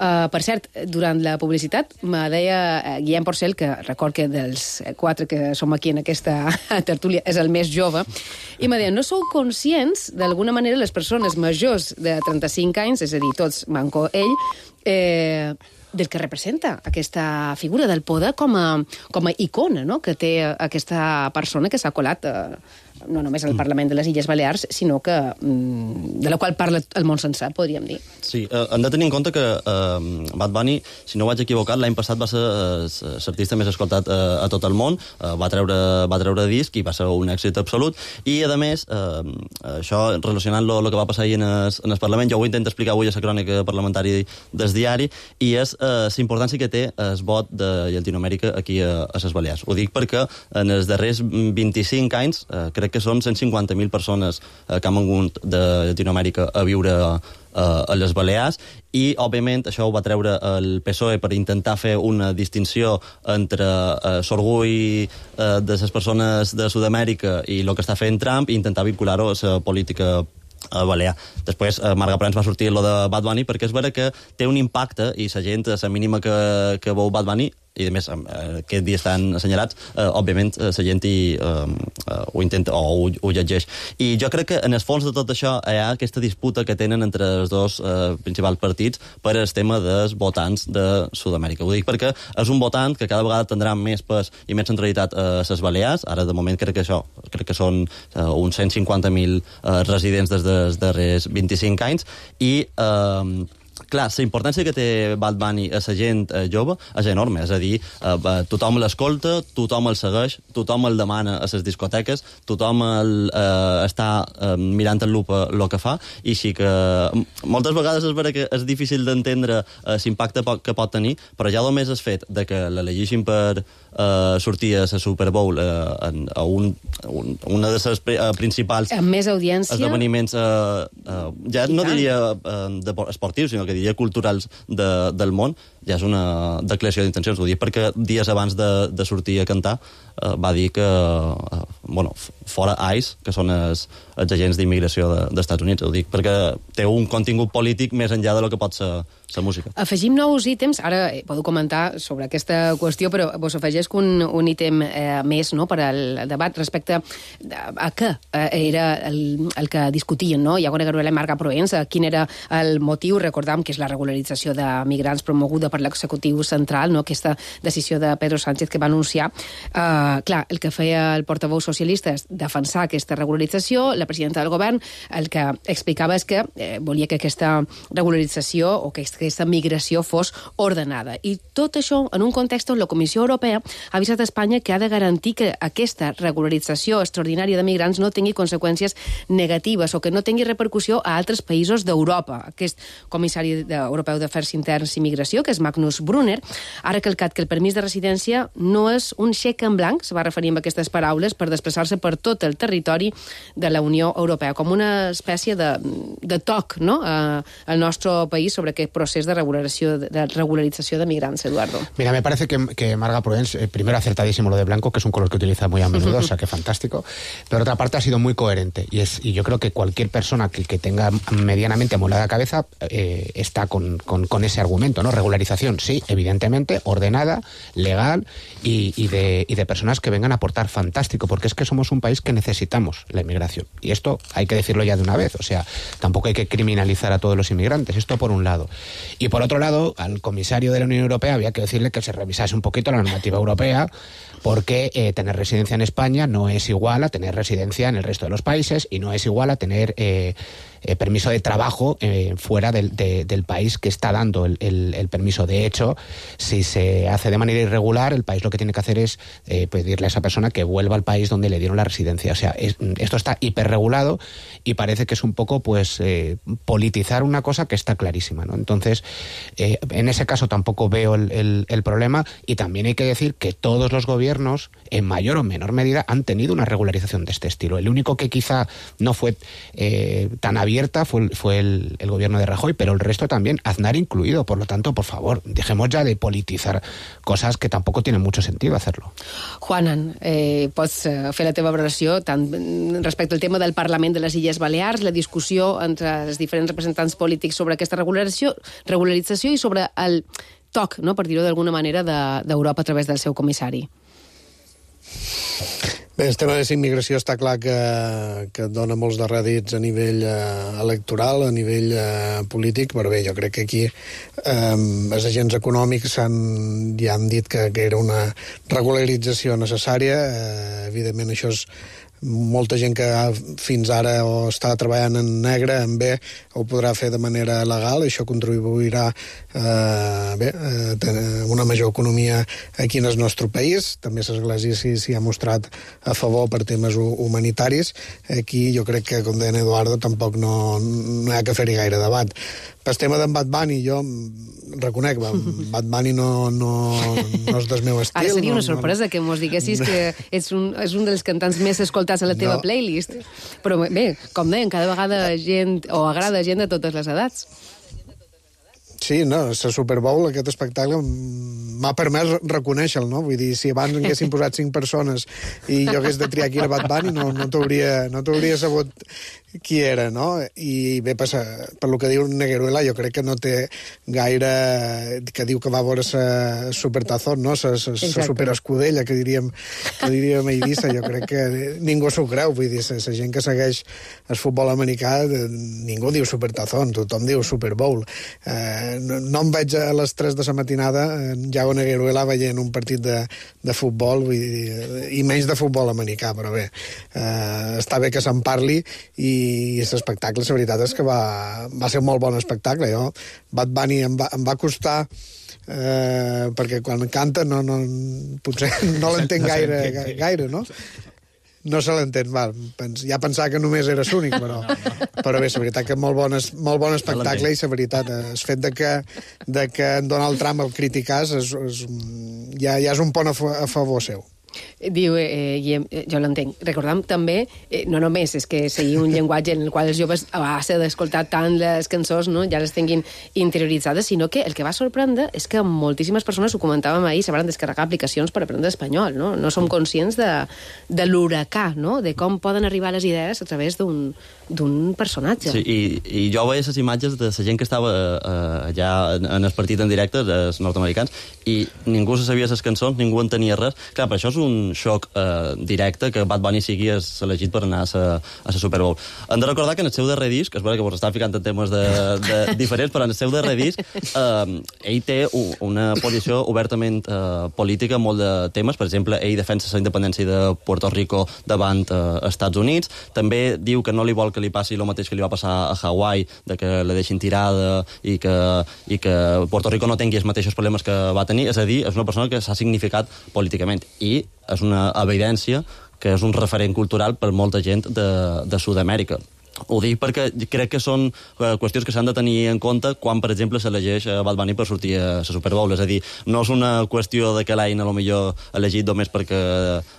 Uh, per cert, durant la publicitat me deia eh, Guillem Porcel, que record que dels quatre que som aquí en aquesta tertúlia és el més jove, i me deia, no sou conscients, d'alguna manera, les persones majors de trenta-cinc anys, és a dir, tots manco ell, eh, del que representa aquesta figura del poder com a, com a icona, no?, que té aquesta persona que s'ha colat eh, no només al Parlament de les Illes Balears, sinó que de la qual parla el món sencer, podríem dir. Sí, eh, hem de tenir en compte que eh, Bad Bunny, si no vaig equivocat, l'any passat va ser eh, l'artista més escoltat eh, a tot el món, eh, va, treure, va treure disc i va ser un èxit absolut, i a més, eh, això relacionant-lo el que va passar ahir en el, en el Parlament, jo ho intento explicar avui a la crònica parlamentària del diari, i és eh, la importància que té el vot de Llatinoamèrica aquí a, a les Balears. Ho dic perquè en els darrers vint-i-cinc anys, eh, crec que són cent cinquanta mil persones eh, que han vingut de Llatinoamèrica a viure eh, a les Balears, i, òbviament, això ho va treure el P S O E per intentar fer una distinció entre eh, l'orgull eh, de les persones de Sud-amèrica i el que està fent Trump, i intentar vincular-ho a la política a Balear. Després, eh, Marga Proens va sortir lo de Bad Bunny perquè és vera que té un impacte i la gent, la mínima que, que veu Bad Bunny, i a més eh, aquest dia estan assenyalats, eh, òbviament eh, la gent hi, eh, ho intenta o ho, ho llegeix. I jo crec que en el fons de tot això hi ha aquesta disputa que tenen entre els dos eh, principals partits per el tema dels votants de Sud-amèrica. Ho dic perquè és un votant que cada vegada tindrà més pes i més centralitat a les Balears. Ara, de moment, crec que això crec que són eh, uns cent cinquanta mil eh, residents des dels darrers vint-i-cinc anys, i eh, clar, la importància que té Bad Bunny a la gent eh, jove és enorme, és a dir, eh, tothom l'escolta, tothom el segueix, tothom el demana a les discoteques, tothom el, eh, està eh, mirant en lupa el que fa, i sí que moltes vegades és vera que és difícil d'entendre eh, l'impacte que pot tenir, però ja només és fet de que l'elegeixin per eh, sortir a la Super Bowl eh, en, a un, un, una de les eh, principals amb més audiència, esdeveniments eh, eh, ja no diria eh, de esportius, sinó que diria culturals de, del món, ja és una declaració d'intencions. Ho dic perquè dies abans de, de sortir a cantar eh, va dir que eh, bueno, fora ICE, que són els, els agents d'immigració de, dels Estats Units. Ho dic perquè té un contingut polític més enllà de lo que pot ser la música. Afegim nous ítems, ara eh, podeu comentar sobre aquesta qüestió, però vos afegeix un, un ítem eh, més, no?, per al debat respecte a què eh, era el, el que discutien, no?, Iago Negaruela i Marga Proens, quin era el motiu. Recordam que és la regularització de migrants promoguda per l'executiu central, no?, aquesta decisió de Pedro Sánchez que va anunciar. Uh, clar, el que feia el portaveu socialista és defensar aquesta regularització. La presidenta del govern el que explicava és que eh, volia que aquesta regularització o que aquesta migració fos ordenada. I tot això en un context on la Comissió Europea ha avisat a Espanya que ha de garantir que aquesta regularització extraordinària de migrants no tingui conseqüències negatives o que no tingui repercussió a altres països d'Europa. Aquest comissari europeu d'Afers Interns i Migració, que és Magnus Brunner, ha recalcat que el permís de residència no és un xec en blanc, se va referir amb aquestes paraules, per desplaçar-se per tot el territori de la Unió Europea, com una espècie de, de toc, no?, eh, al nostre país sobre aquest procés de regularització de, regularització de migrants, Eduardo. Mira, me parece que, que Marga Prudence, eh, primero acertadísimo lo de blanco, que es un color que utiliza muy a menudo, o sea, que fantástico, pero por otra parte ha sido muy coherente, y, es, y yo creo que cualquier persona que, que tenga medianamente amolada cabeza eh, está con, con, con ese argumento, ¿no? Regularización, sí, evidentemente, ordenada, legal, y, y, de, y de personas que vengan a aportar, fantástico, porque es que somos un país que necesitamos la inmigración, y esto hay que decirlo ya de una vez, o sea, tampoco hay que criminalizar a todos los inmigrantes, esto por un lado. Y por otro lado, al comisario de la Unión Europea había que decirle que se revisase un poquito la normativa europea, porque eh, tener residencia en España no es igual a tener residencia en el resto de los países, y no es igual a tener eh, eh, permiso de trabajo eh, fuera del, de, del país que está dando el, el, el permiso. De hecho, si se hace de manera irregular, el país lo que tiene que hacer es eh, pedirle a esa persona que vuelva al país donde le dieron la residencia. O sea, es, esto está hiperregulado y parece que es un poco pues eh, politizar una cosa que está clarísima, ¿no? Entonces, eh, en ese caso tampoco veo el, el, el problema, y también hay que decir que todos los gobiernos, en mayor o menor medida, han tenido una regularización de este estilo. El único que quizá no fue eh, tan abierta fue, fue el, el gobierno de Rajoy, pero el resto también, Aznar incluido. Por lo tanto, por favor, dejemos ya de politizar cosas que tampoco tienen mucho sentido hacerlo. Juanan, eh, pots fer la teva valoració tant respecte al tema del Parlament de les Illes Balears, la discussió entre els diferents representants polítics sobre aquesta regularització, regularització i sobre el toc, no, per dir-ho d'alguna manera, d'Europa a través del seu comissari. Bé, el tema de la immigració està clar que, que dona molts de rèdits a nivell eh, electoral, a nivell eh, polític, però bé, jo crec que aquí eh, els agents econòmics han, ja han dit que, que era una regularització necessària. Eh, evidentment, això és molta gent que fins ara o està treballant en negre, en bé, ho podrà fer de manera legal, i això contribuirà eh, bé, a tenir una major economia aquí en el nostre país. També l'Església s'hi ha mostrat a favor per temes humanitaris. Aquí jo crec que, com deia Eduardo, tampoc no, no hi ha que fer-hi gaire debat. Pel tema d'en Bad Bunny, jo reconec, Bad Bunny no, no, no és del meu estil. Ara seria una no, sorpresa no... que mos diguessis que ets un, és un dels cantants més escoltats a la teva no. playlist. Però bé, com deien, cada vegada gent, o agrada gent de totes les edats. Sí, no, la Super Bowl, aquest espectacle, m'ha permès reconèixer-lo, no? Vull dir, si abans haguessin posat cinc persones i jo hagués de triar qui era Bad Bunny, no, no t'hauria no t'hauria sabut qui era, no? I bé, per, per lo que diu Negueruela, jo crec que no té gaire... que diu que va veure la Supertazón, no? La superescudella, que diríem, que diríem a Eivissa. Jo crec que ningú s'ho creu, vull dir, la gent que segueix el futbol americà, ningú diu Supertazón, tothom diu Super Bowl. Eh, no, no em veig a les tres de la matinada en Yago Negueruela veient un partit de, de futbol, vull dir, i menys de futbol americà, però bé, eh, està bé que se'n parli, i i l'espectacle, la veritat és que va, va ser un molt bon espectacle. Jo, Bad Bunny em va, em va costar eh, perquè quan canta no, no, potser no l'entenc gaire, gaire, no? No se l'entén, val. Ja pensava que només era l'únic, però, però bé, la veritat que molt bon, molt bon espectacle, i la veritat, el fet de que, de que en Donald Trump el criticàs és, és, ja, ja és un pont a, a favor seu. Diu, eh, Guillem, eh, jo l'entenc. Recordem també, eh, no només és que sigui un llenguatge en el qual els joves a base d'escoltar tant les cançons, no, ja les tinguin interioritzades, sinó que el que va sorprendre és que moltíssimes persones, ho comentàvem ahir, s'hauran descarregar aplicacions per aprendre espanyol, no? No som conscients de, de l'huracà, no? De com poden arribar les idees a través d'un d'un personatge. Sí, i, i jo veia les imatges de la gent que estava eh, allà en, en el partit en directe, els nord-americans, i ningú se sabia les cançons, ningú entenia res. Clar, per això és un xoc eh, directe que Bad Bunny sigui elegit per anar a la Super Bowl. Hem de recordar que en el seu darrer disc, és vera que vos està ficant en temes de, de diferents, però en el seu darrer disc eh, ell té una posició obertament eh, política en molt de temes. Per exemple, ell defensa la independència de Puerto Rico davant eh, Estats Units. També diu que no li vol que li passi el mateix que li va passar a Hawaii, de que la deixin tirada i que, i que Puerto Rico no tingui els mateixos problemes que va tenir. És a dir, és una persona que s'ha significat políticament, i és una evidència que és un referent cultural per molta gent de, de Sud-amèrica. Ho dic perquè crec que són uh, qüestions que s'han de tenir en compte quan, per exemple, s'elegeix uh, Bad Bunny per sortir a la Super Bowl. És a dir, no és una qüestió de que l'hagin a lo millor elegit només perquè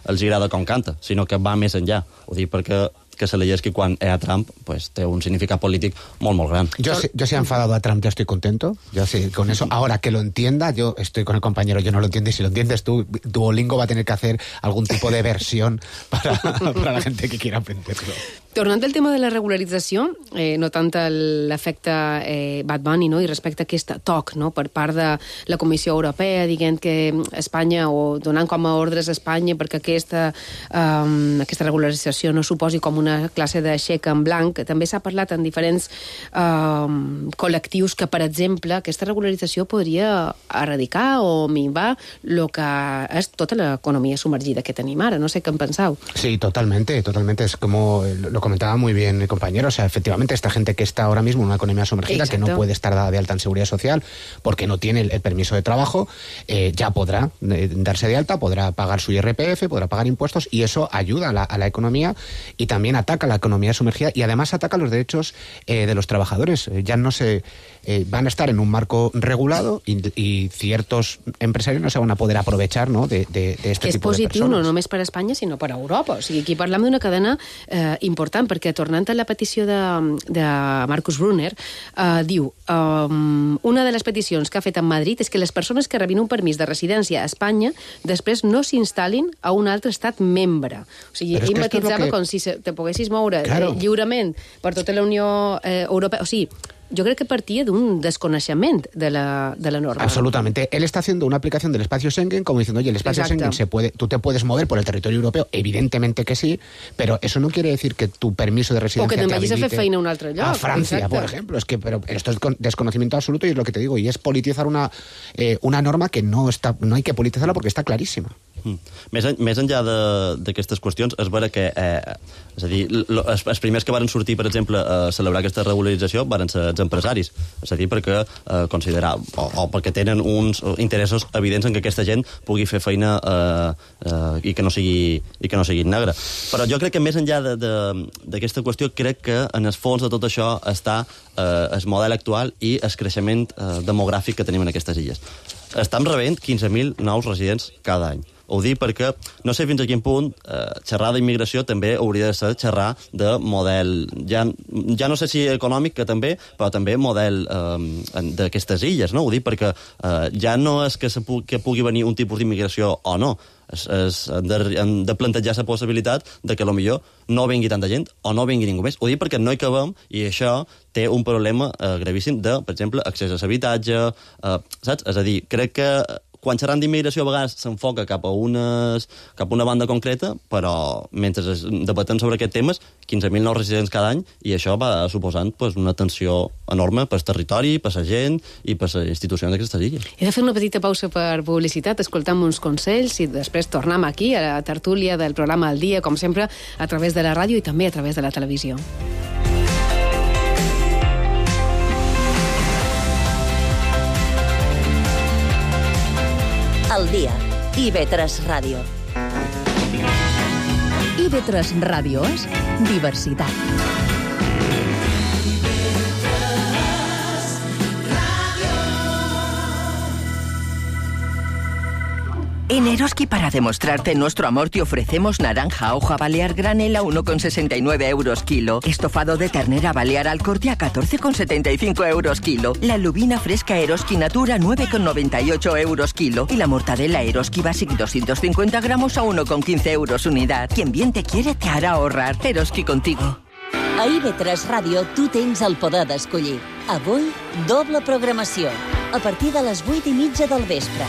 els agrada com canta, sinó que va més enllà. Ho dic perquè que se leyes que quan era Trump, pues té un significado político muy, muy grande. Yo, si, yo si he enfadado a Trump, ya estoy contento. Yo sí, con eso. Ahora que lo entienda, yo estoy con el compañero, yo no lo entiendo, y si lo entiendes tú, Duolingo va a tener que hacer algún tipo de versión para, para la gente que quiera aprenderlo. Tornant al tema de la regularització, eh, no tant l'efecte eh, Bad Bunny, no? I respecte a aquest toc, no? Per part de la Comissió Europea, dient que Espanya, o donant com a ordres a Espanya perquè aquesta, um, aquesta regularització no suposi com una classe de xec en blanc. També s'ha parlat en diferents um, col·lectius que, per exemple, aquesta regularització podria erradicar o minvar el que és tota l'economia submergida que tenim ara. No sé què en penseu. Sí, totalmente, totalmente. Es como lo comentaba muy bien el compañero, o sea, efectivamente esta gente que está ahora mismo en una economía sumergida, exacto, que no puede estar dada de alta en seguridad social porque no tiene el, el permiso de trabajo, eh, ya podrá eh, darse de alta, podrá pagar su I R P F, podrá pagar impuestos, y eso ayuda a la, a la economía y también ataca a la economía sumergida y además ataca los derechos eh, de los trabajadores. Eh, ya no se eh, van a estar en un marco regulado y, y ciertos empresarios no se van a poder aprovechar, ¿no?, de, de, de este que tipo de persones. És positiu no només per a Espanya, sinó per a Europa. O sigui, aquí parlem d'una cadena eh, important, perquè tornant a la petició de, de Marcus Brunner, eh, diu, um, una de les peticions que ha fet en Madrid és que les persones que rebin un permís de residència a Espanya després no s'instal·lin a un altre estat membre. O sigui, ell matitzava que... com si te poguessis moure claro. eh, lliurement per tota la Unió eh, Europea. O sigui, yo creo que partía de un desconocimiento de la, de la norma. Absolutamente. Él está haciendo una aplicación del espacio Schengen como diciendo, oye, el espacio Exacto. Schengen se puede, tú te puedes mover por el territorio europeo, evidentemente que sí, pero eso no quiere decir que tu permiso de residencia o que te te vayas a fer feina a un altre lloc. A Francia, Exacte. por ejemplo. Es que, pero esto es desconocimiento absoluto y es lo que te digo, y es politizar una, eh, una norma que no, está, no hay que politizarla porque está clarísima. Mm. Més, en, més enllà d'aquestes qüestions, és vera que eh, és a dir, lo, els, els primers que varen sortir, per exemple, a celebrar aquesta regularització varen ser els empresaris, és a dir, perquè eh, considerar, o, o perquè tenen uns interessos evidents en que aquesta gent pugui fer feina eh, eh, i que no sigui i que no sigui negra. Però jo crec que més enllà d'aquesta qüestió, crec que en el fons de tot això està eh, el model actual i el creixement eh, demogràfic que tenim en aquestes illes. Estem rebent quinze mil nous residents cada any. Ho dic perquè no sé fins a quin punt eh, xerrar d'immigració també hauria de ser xerrar de model, ja, ja no sé si econòmic, que també, però també model eh, d'aquestes illes, no? Ho dic perquè eh, ja no és que, se pu que pugui venir un tipus d'immigració o no, és, és, hem, de, hem de plantejar la possibilitat de que potser no vingui tanta gent o no vingui ningú més. Ho dic perquè no hi cabem i això té un problema eh, gravíssim de, per exemple, accés a l'habitatge, eh, saps? És a dir, crec que quan xerrant d'immigració a vegades s'enfoca cap a unes, cap a una banda concreta, però mentre debatem sobre aquests temes, quinze mil nous residents cada any, i això va suposant pues, una tensió enorme pel territori, per la gent i per les institucions d'aquestes illes. He de fer una petita pausa per publicitat, escoltam uns consells i després tornem aquí a la tertúlia del programa Al Dia, com sempre, a través de la ràdio i també a través de la televisió. Al Dia, I V tres Ràdio. I V tres Ràdio és diversitat. En Eroski, para demostrarte nuestro amor, te ofrecemos naranja hoja balear granel a uno con sesenta y nueve euros kilo. Estofado de ternera balear al corte a catorce con setenta y cinco euros kilo. La lubina fresca Eroski Natura nueve con noventa y ocho euros kilo. Y la mortadela Eroski Basic doscientos cincuenta gramos a uno con quince euros unidad. Quien bien te quiere te hará ahorrar. Eroski contigo. A I V tres Ràdio tu tens el poder d'escollir. Avui, doble programació. A partir de les vuit i mitja del vespre.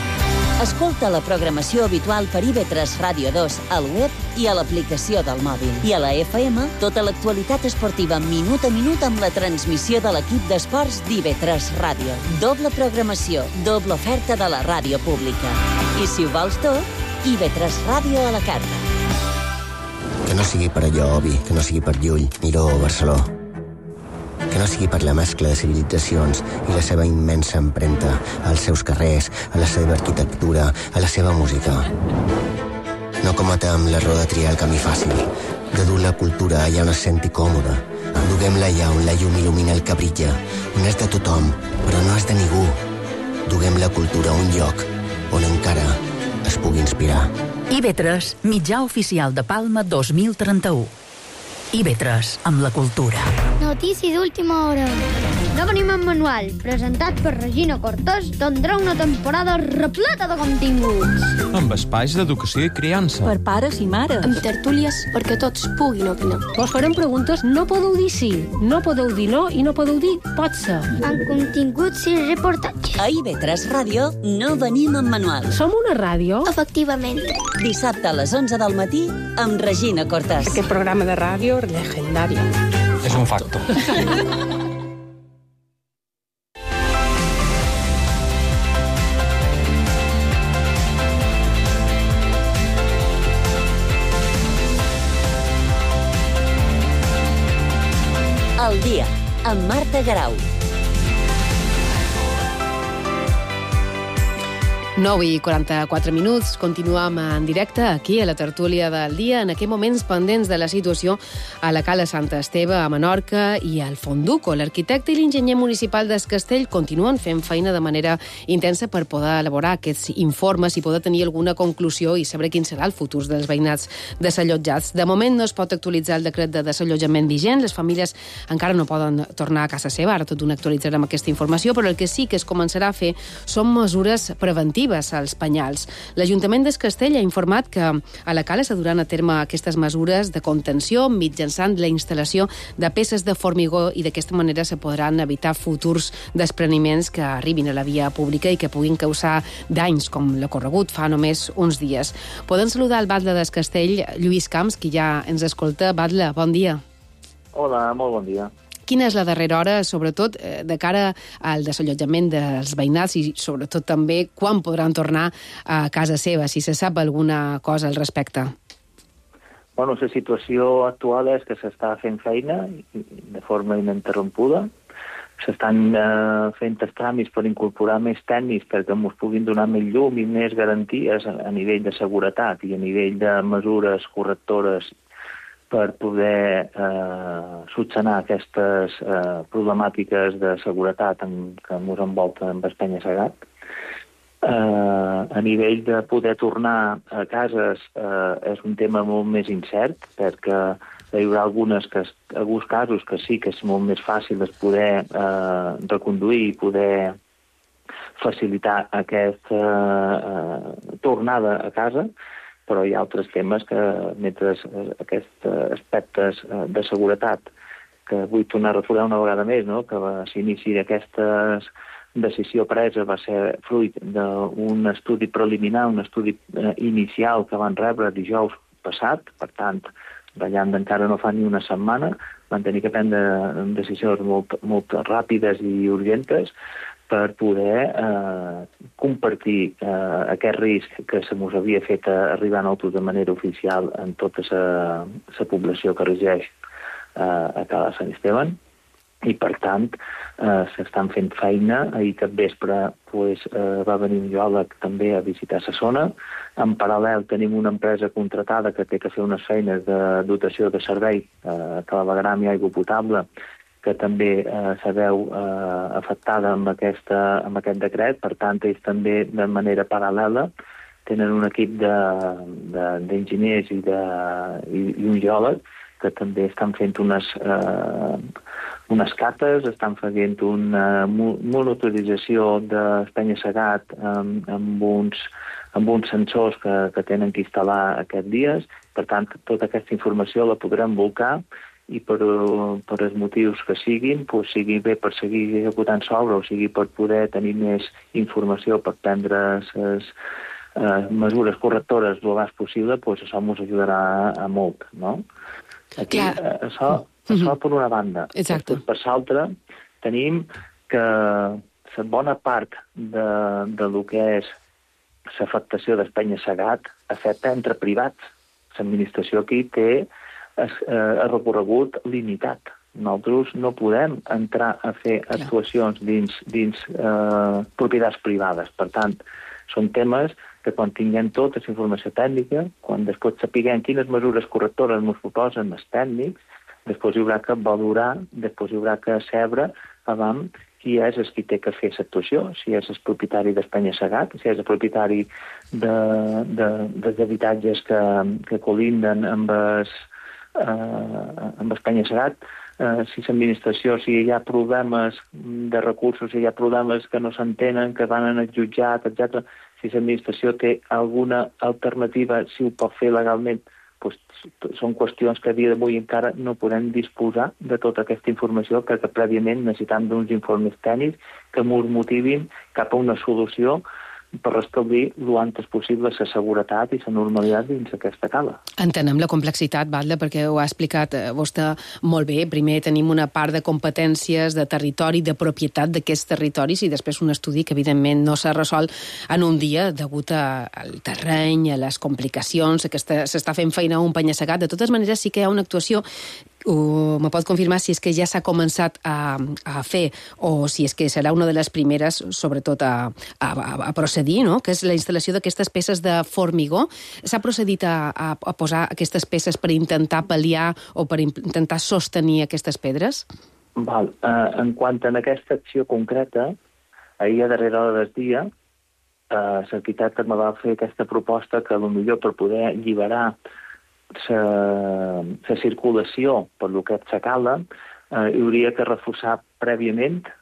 Escolta la programació habitual per I V tres Ràdio dos al web i a l'aplicació del mòbil. I a la F M, tota l'actualitat esportiva minut a minut amb la transmissió de l'equip d'esports d'I V tres Ràdio. Doble programació, doble oferta de la ràdio pública. I si ho vols tot, I V tres Ràdio a la carta. Que no sigui per allò, Obi, que no sigui per Llull, Miró o Barceló. Que no sigui per la mescla de civilitzacions i la seva immensa empremta als seus carrers, a la seva arquitectura, a la seva música. No cometem l'error de triar el camí fàcil, de dur la cultura allà on es senti còmode, Duguem-la allà on la llum il·lumina el que brilla, on és de tothom, però no és de ningú. Duguem la cultura a un lloc on encara es pugui inspirar. I B tres, mitjà oficial de Palma dos mil trenta-u. I B tres, amb la cultura. Notícia d'última hora. No venim en manual, presentat per Regina Cortés, tindrà una temporada repleta de continguts. Amb espais d'educació i criança. Per pares i mares. Amb tertúlies perquè tots puguin opinar. Vos farem preguntes, no podeu dir sí, no podeu dir no i no podeu dir pot ser. Amb continguts i reportatges. A I B tres Ràdio no venim en manual. Som una ràdio? Efectivament. Dissabte a les onze del matí amb Regina Cortés. Aquest programa de ràdio legendari. És un facto. Al dia, amb Marta Garau. nou i quaranta-quatre minuts, continuem en directe aquí a la tertúlia del dia, en aquests moments pendents de la situació a la Cala Sant Esteve, a Menorca i al Fonduco. L'arquitecte i l'enginyer municipal d'Es Castell continuen fent feina de manera intensa per poder elaborar aquests informes i poder tenir alguna conclusió i saber quin serà el futur dels veïnats desallotjats. De moment no es pot actualitzar el decret de desallotjament vigent, les famílies encara no poden tornar a casa seva, ara tot d'una actualitzarem aquesta informació, però el que sí que es començarà a fer són mesures preventives als penyals. L'Ajuntament d'Es Castell ha informat que a la Cala s'ha duran a terme aquestes mesures de contenció mitjançant la instal·lació de peces de formigó i d'aquesta manera se podran evitar futurs despreniments que arribin a la via pública i que puguin causar danys com l'ocorregut fa només uns dies. Podem saludar el batlle d'Es Castell, Lluís Camps, qui ja ens escolta. Batlle, bon dia. Hola, molt bon dia. Quina és la darrera hora, sobretot de cara al desallotjament dels veïnats i sobretot també quan podran tornar a casa seva, si se sap alguna cosa al respecte? Bueno, la situació actual és que s'està fent feina de forma ininterrompuda. S'estan eh, fent els tràmits per incorporar més tècnics perquè ens puguin donar més llum i més garanties a, a nivell de seguretat i a nivell de mesures correctores per poder eh, solucionar aquestes eh, problemàtiques de seguretat en, que ens envolten amb el penya-segat. Eh, a nivell de poder tornar a cases eh, és un tema molt més incert, perquè hi haurà algunes que, alguns casos que sí que és molt més fàcil de poder eh, reconduir i poder facilitar aquesta eh, tornada a casa, però hi ha altres temes que, mentre aquests aspectes de seguretat, que vull tornar a recordar una vegada més, no? Que s'inici d'aquesta decisió presa va ser fruit d'un estudi preliminar, un estudi inicial que van rebre dijous passat, per tant, ballant encara no fa ni una setmana, van tenir que prendre decisions molt, molt ràpides i urgentes per poder eh, compartir eh, aquest risc que se mos havia fet arribar a nosaltres de manera oficial en tota la població que regeix eh, a Cala Sant Esteban. I, per tant, eh, s'estan fent feina. Ahir cap vespre pues, eh, va venir un geòleg també a visitar la zona. En paral·lel tenim una empresa contratada que té que fer unes feines de dotació de servei, eh, clavegram i aigua potable, que també eh, se veu eh, afectada amb, aquesta, amb aquest decret. Per tant, ells també, de manera paral·lela, tenen un equip d'enginyers i, de, i, i un geòleg que també estan fent unes, eh, unes cates, estan fent una monitorització del penya-segat amb, amb, uns, amb uns sensors que, que tenen que instal·lar aquests dies. Per tant, tota aquesta informació la podrem volcar i per, per els motius que siguin, doncs sigui bé per seguir executant l'obra o sigui per poder tenir més informació per prendre les eh, mesures correctores el més possible, doncs això ens ajudarà a, a molt, no? Aquí, eh, això, això mm-hmm. per una banda. Exacte. Per l'altra, tenim que la bona part de, de lo que és l'afectació del penya-segat afecta entre privats. L'administració aquí té el recorregut limitat. Nosaltres no podem entrar a fer actuacions dins, dins eh, propietats privades. Per tant, són temes que quan tinguem tota la informació tècnica, quan després sapiguem quines mesures correctores ens proposen els tècnics, després hi haurà que valorar, després hi haurà que sebre abans qui és el qui té que fer l'actuació, si és el propietari d'Espanya Segat, si és el propietari de, de, dels habitatges que, que colinden amb es, eh, amb Espanya Segat, eh, si l'administració, si hi ha problemes de recursos, si hi ha problemes que no s'entenen, que van en el jutjat, etcètera, si l'administració té alguna alternativa, si ho pot fer legalment, doncs són qüestions que a dia d'avui encara no podem disposar de tota aquesta informació perquè prèviament necessitam d'uns informes tècnics que ens motivin cap a una solució per restablir lo antes possible la seguretat i la normalitat dins aquesta cala. Entenem la complexitat, Batlle, perquè ho ha explicat vostè molt bé. Primer tenim una part de competències, de territori, de propietat d'aquests territoris i després un estudi que evidentment no s'ha resolt en un dia degut al terreny, a les complicacions, que s'està fent feina un penya-segat. De totes maneres, sí que hi ha una actuació. Uh, me pot confirmar si és que ja s'ha començat a, a fer o si és que serà una de les primeres, sobretot, a, a, a procedir, no? Que és la instal·lació d'aquestes peces de formigó. S'ha procedit a, a, a posar aquestes peces per intentar pal·liar o per intentar sostenir aquestes pedres? Val. Uh, en quant a aquesta acció concreta, ahir a darrera hora del dia, uh, l'arquitecte me va fer aquesta proposta que potser per poder alliberar la circulació per lo que és la cala, eh, hi hauria que reforçar prèviament eh,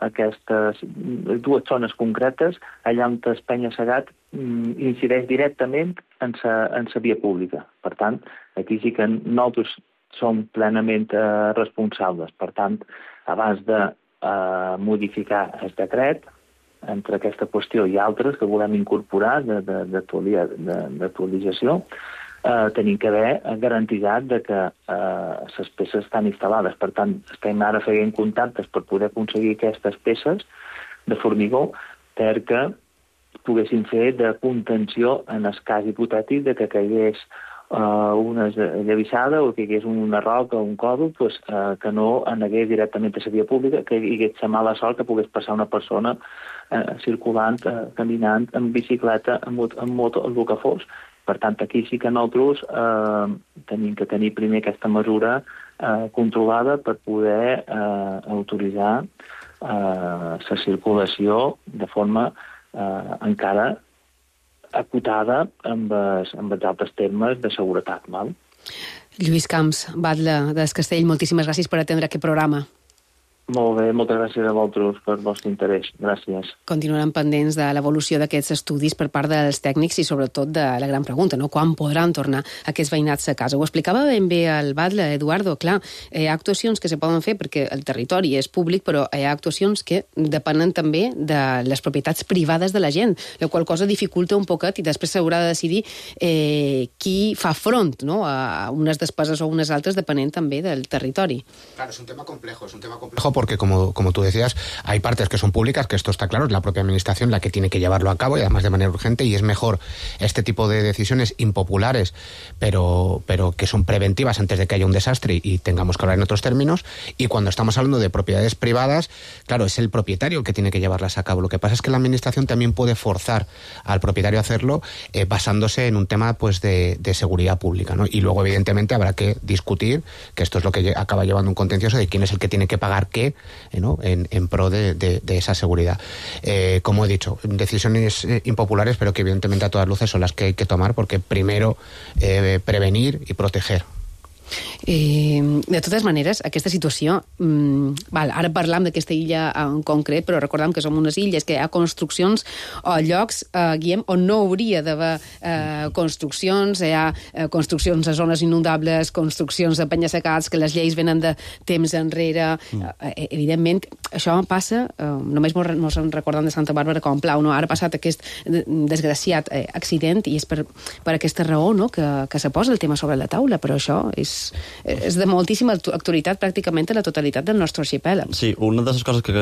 aquestes dues zones concretes allà on el penya-segat mm, incideix directament en la via pública. Per tant, aquí sí que nosaltres som plenament eh, responsables. Per tant, abans de eh, modificar el decret, entre aquesta qüestió i altres que volem incorporar d'actualització, Uh, tenim que haver garantitzat de que les uh, peces estan instal·lades. Per tant, estem ara fent contactes per poder aconseguir aquestes peces de formigó perquè poguessin fer de contenció en el cas hipotètic de que caigués uh, una llavissada o que hi hagués una roca o un còdol, pues, uh, que no anegués directament a la via pública, que hi hagués la mala sort que pogués passar una persona uh, circulant, uh, caminant, en bicicleta, en, en moto, el que fos. Per tant, aquí sí que nosaltres eh, tenim que tenir primer aquesta mesura eh, controlada per poder eh, autoritzar la eh, circulació de forma eh, encara acotada amb els, amb els altres termes de seguretat. Val? Lluís Camps, batlle del Castell, moltíssimes gràcies per atendre aquest programa. Molt bé, moltes gràcies a vosaltres per el vostre interès. Gràcies. Continuaran pendents de l'evolució d'aquests estudis per part dels tècnics i sobretot de la gran pregunta, no? Quan podran tornar aquests veïnats a casa? Ho explicava ben bé el batlle, Eduardo. Clar, hi ha actuacions que se poden fer perquè el territori és públic, però hi ha actuacions que depenen també de les propietats privades de la gent, la qual cosa dificulta un poquet i després s'haurà de decidir eh, qui fa front, no? A unes despeses o unes altres depenent també del territori. Claro, es un tema complejo, es un tema complejo porque, como, como tú decías, hay partes que son públicas, que esto está claro, es la propia administración la que tiene que llevarlo a cabo y además de manera urgente, y es mejor este tipo de decisiones impopulares, pero, pero que son preventivas antes de que haya un desastre y tengamos que hablar en otros términos. Y cuando estamos hablando de propiedades privadas, claro, es el propietario el que tiene que llevarlas a cabo. Lo que pasa es que la administración también puede forzar al propietario a hacerlo eh, basándose en un tema pues de, de seguridad pública, ¿no? Y luego, evidentemente, habrá que discutir, que esto es lo que acaba llevando un contencioso, de quién es el que tiene que pagar qué, ¿no? en, en pro de, de, de esa seguridad. Eh, como he dicho, decisiones eh, impopulares, pero que evidentemente a todas luces son las que hay que tomar, porque primero eh, prevenir y proteger. Eh, de totes maneres, aquesta situació mmm, val, ara parlam d'aquesta illa en concret, però recordem que som unes illes, que hi ha construccions o llocs, eh, Guillem, on no hauria d'haver eh, construccions, hi ha eh, construccions a zones inundables, construccions de penya-secats, que les lleis venen de temps enrere. Mm. Eh, evidentment, això passa, eh, només mos en recordem de Santa Bàrbara com plau, no? Ara ha passat aquest desgraciat eh, accident i és per, per aquesta raó, no? que, que se posa el tema sobre la taula, però això és és de moltíssima actualitat pràcticament a la totalitat del nostre arxipèlag. Sí, una de les coses que,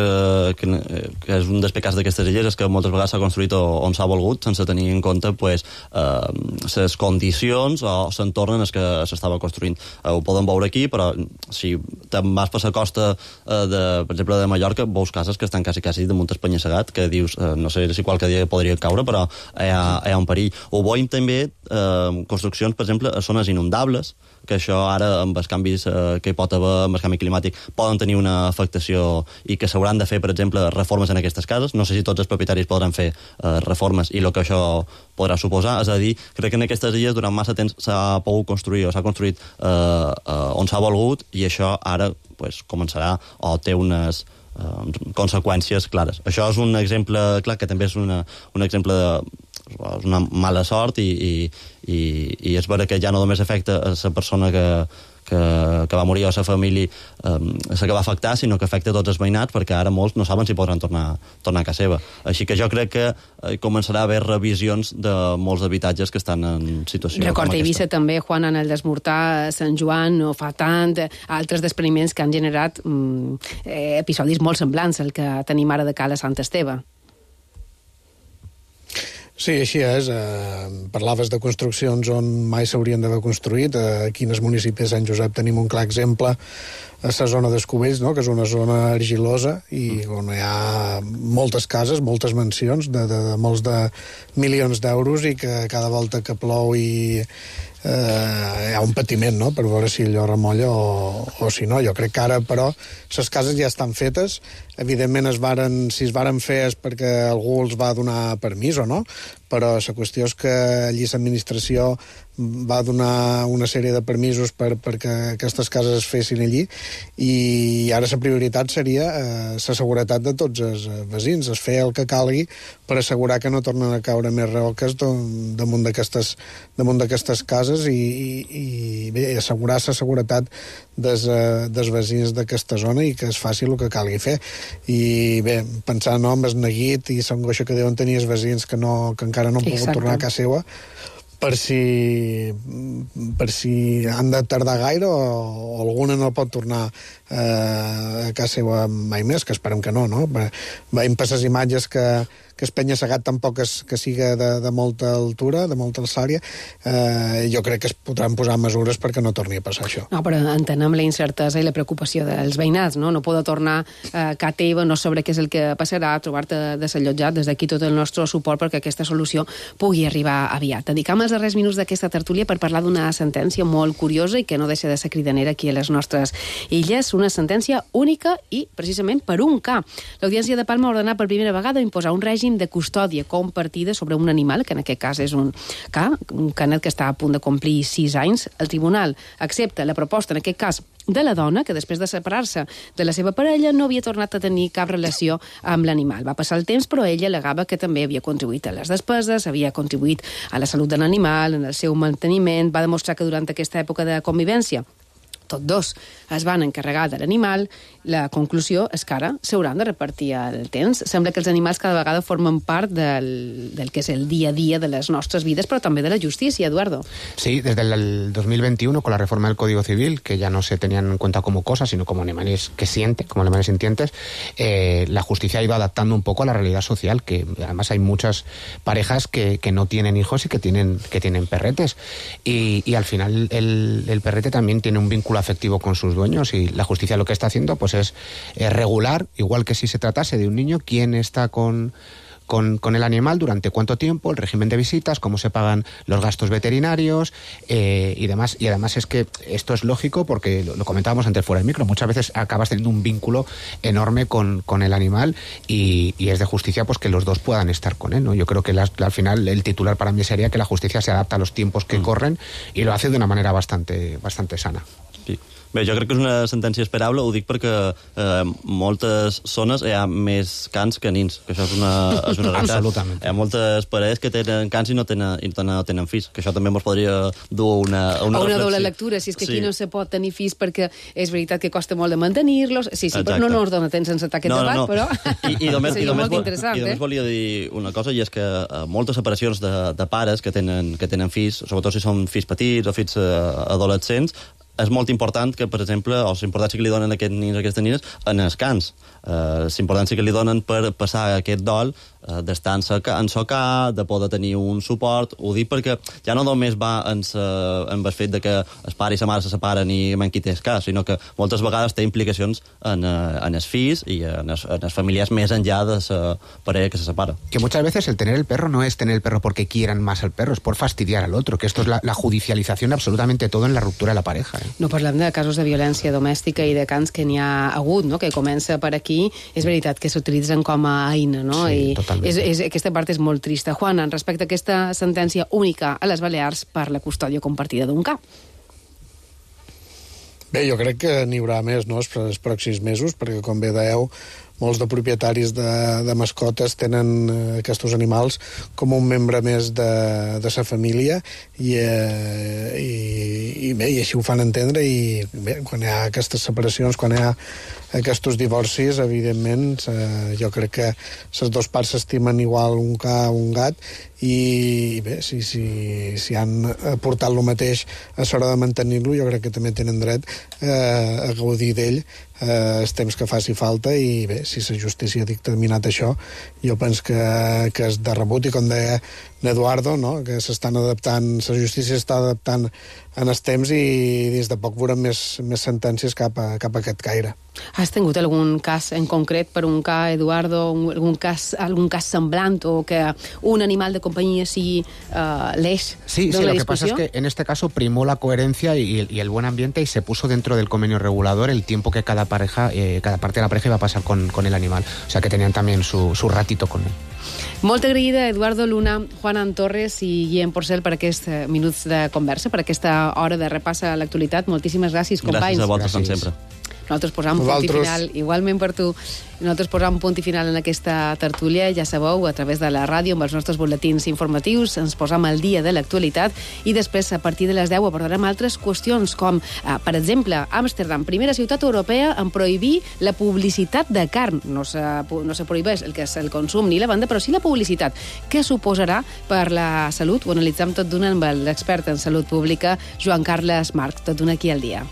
que, que és un dels pecats d'aquestes illes és que moltes vegades s'ha construït on s'ha volgut, sense tenir en compte pues, eh, les condicions o l'entorn en el que s'estava construint. Eh, ho podem veure aquí, però si te'n vas per la costa, eh, de, per exemple, de Mallorca veus cases que estan quasi, quasi damunt el penya-segat, que dius, eh, no sé si qualque dia podria caure, però hi ha, hi ha un perill. Ho veiem també eh, construccions, per exemple, a zones inundables, que això ara, amb els canvis eh, que hi pot haver, amb el canvi climàtic, poden tenir una afectació i que s'hauran de fer, per exemple, reformes en aquestes cases. No sé si tots els propietaris podran fer eh, reformes i el que això podrà suposar. És a dir, crec que en aquestes illes durant massa temps s'ha pogut construir o s'ha construït eh, eh, on s'ha volgut i això ara pues, començarà o té unes eh, conseqüències clares. Això és un exemple clar, que també és una, un exemple de és una mala sort i, i, i, i és vera que ja no només afecta a la persona que, que, que va morir o a la família um, la que va afectar, sinó que afecta a tots els veïnats, perquè ara molts no saben si podran tornar, tornar a casa seva. Així que jo crec que eh, començarà a haver revisions de molts habitatges que estan en situació Record com aquesta. Eivissa també, Juan, en el desmortar Sant Joan no fa tant, altres despreniments que han generat mm, eh, episodis molt semblants al que tenim ara de Cala Sant Esteve. Sí, així és. Eh, parlaves de construccions on mai s'haurien d'haver construït. Eh, aquí en el municipi de Sant Josep tenim un clar exemple a la zona d'Escubells, no?, que és una zona argilosa i on hi ha moltes cases, moltes mansions de, de, de molts de milions d'euros i que cada volta que plou i eh, hi ha un patiment, no?, per veure si allò remolla o, o si no. Jo crec que ara, però, les cases ja estan fetes. Evidentment, es varen, si es varen fer és perquè algú els va donar permís o no, però la qüestió és que allí l'administració va donar una sèrie de permisos per, perquè aquestes cases es fessin allí i ara la prioritat seria eh, la seguretat de tots els veïns, es fer el que calgui per assegurar que no tornen a caure més roques damunt d'aquestes damunt d'aquestes cases i, i, i bé, assegurar la seguretat des, dels veïns d'aquesta zona i que es faci el que calgui fer. I bé, pensar no, amb el neguit i l'angoixa que deuen tenir els veïns que, no, que encara no han pogut Exacte. tornar a casa seva per si, per si han de tardar gaire o, o alguna no pot tornar eh, a casa seva mai més, que esperem que no, no? Veiem per les imatges que, que es penya-segat tampoc és, que siga de, de molta altura, de molta alçària, eh, jo crec que es podran posar mesures perquè no torni a passar això. No, però entenem la incertesa i la preocupació dels veïnats, no? No poder tornar a casa teva, no saber què és el que passarà, trobar-te desallotjat. Des d'aquí tot el nostre suport perquè aquesta solució pugui arribar aviat. Dedicam els darrers minuts d'aquesta tertúlia per parlar d'una sentència molt curiosa i que no deixa de ser cridanera aquí a les nostres illes, una sentència única i, precisament, per un ca. L'Audiència de Palma ha ordenat per primera vegada imposar un règim de custòdia compartida sobre un animal, que en aquest cas és un ca, un canet que està a punt de complir sis anys. El tribunal accepta la proposta, en aquest cas, de la dona, que després de separar-se de la seva parella no havia tornat a tenir cap relació amb l'animal. Va passar el temps, però ella alegava que també havia contribuït a les despeses, havia contribuït a la salut de l'animal, en el seu manteniment, va demostrar que durant aquesta època de convivència tots dos es van encarregar de l'animal. La conclusió és que ara s'hauran de repartir el temps. Sembla que els animals cada vegada formen part del, del que és el dia a dia de les nostres vides, però també de la justícia, Eduardo. Sí, desde el dos mil veintiuno, con la reforma del Código Civil, que ya no se tenían en cuenta como cosas, sino como animales que sienten, como animales sintientes, eh, la justicia ha ido adaptando un poco a la realidad social, que además hay muchas parejas que, que no tienen hijos y que tienen, que tienen perretes. Y, y al final el, el perrete también tiene un vínculo afectivo con sus dueños y la justicia lo que está haciendo pues es eh, regular, igual que si se tratase de un niño, quién está con... Con, con el animal, durante cuánto tiempo, el régimen de visitas, cómo se pagan los gastos veterinarios eh, y demás. Y además es que esto es lógico porque lo, lo comentábamos antes fuera del micro, muchas veces acabas teniendo un vínculo enorme con, con el animal y, y es de justicia pues que los dos puedan estar con él, ¿no? Yo creo que la, al final el titular para mí sería que la justicia se adapta a los tiempos que mm. corren y lo hace de una manera bastante, bastante sana. Sí. Bé, jo crec que és una sentència esperable, ho dic perquè eh, moltes zones hi ha més cans que nins, que això és una, és una realitat. Absolutament. Hi ha moltes parelles que tenen cans i no tenen, i no tenen fills, que això també ens podria dur a una, a una o una reflexió. doble lectura, si és que aquí sí. no se pot tenir fills perquè és veritat que costa molt de mantenir-los. Sí, sí, Exacte. però no, no ens dona temps sense aquest no, debat, no, no. però I, i només, seria i només, molt interessant. I només eh? volia dir una cosa, i és que eh, moltes separacions de, de pares que tenen, que tenen fills, sobretot si són fills petits o fills eh, adolescents, és molt important que, per exemple, o l'importància que li donen a aquests nins o aquestes nines en el cans. Uh, l'importància que li donen per passar aquest dol, uh, d'estar en socar, de poder tenir un suport. Ho dic perquè ja no només va en, sa, en el fet de que el pare i la mare se separen i en qui té el cas, sinó que moltes vegades té implicacions en, uh, en els fills i en els, en els familiars més enllà de la parella que se separa. Que muchas veces el tener el perro no es tener el perro porque quieran más al perro, es por fastidiar al otro, que esto es la, la judicialización de absolutamente todo en la ruptura de la pareja. Eh? No parlem de casos de violència domèstica i de cants que n'hi ha hagut, no? Que comença per aquí. És veritat que s'utilitzen com a eina, no? Sí, I totalment. és, és, aquesta part és molt trista. Juan, en respecte a aquesta sentència única a les Balears per la custòdia compartida d'un cap. Bé, jo crec que n'hi haurà més, no?, els pròxims mesos, perquè, com bé dèieu, molts de propietaris de, de mascotes tenen eh, aquests animals com un membre més de, de sa família i, eh, i, i bé, i així ho fan entendre, i bé, quan hi ha aquestes separacions, quan hi ha aquests divorcis, evidentment, eh, jo crec que les dues parts s'estimen igual un ca o un gat, i bé, si, si, si han aportat el mateix a l'hora de mantenir-lo, jo crec que també tenen dret eh, a gaudir d'ell eh, el temps que faci falta, i bé, si la justícia ha dictaminat això, jo penso que, que és de rebut, i com deia l'Eduardo, no?, que s'estan adaptant, la justícia està adaptant en els temps, i des de poc veurem més, més sentències cap a, cap a aquest caire. Has tingut algun cas en concret per un cas, Eduardo, un, algun, cas, algun cas semblant, o que un animal de compañía sigui uh, l'eix sí, de sí, la lo que discussió? pasa es que en este caso primó la coherencia y, y el buen ambiente, y se puso dentro del convenio regulador el tiempo que cada pareja, eh, cada parte de la pareja iba a pasar con, con el animal. O sea que tenían también su, su ratito con él. Molt agraïda, Eduardo Luna, Juan Torres i Guillem Porcel, per aquests minuts de conversa, per aquesta hora de repàs a l'actualitat. Moltíssimes gràcies, companys. Gràcies a vosaltres, com sempre. Nosaltres posam punt i final, igualment per tu, nosaltres posam punt i final en aquesta tertúlia, ja sabeu, a través de la ràdio, amb els nostres boletins informatius, ens posam al dia de l'actualitat, i després, a partir de les deu, abordarem altres qüestions, com, eh, per exemple, Amsterdam, primera ciutat europea en prohibir la publicitat de carn. No se, no se prohibeix el que és el consum ni la venda, però sí la publicitat. Què suposarà per la salut? Ho analitzem tot d'una amb l'expert en salut pública, Joan Carles Marc, tot d'una aquí al dia.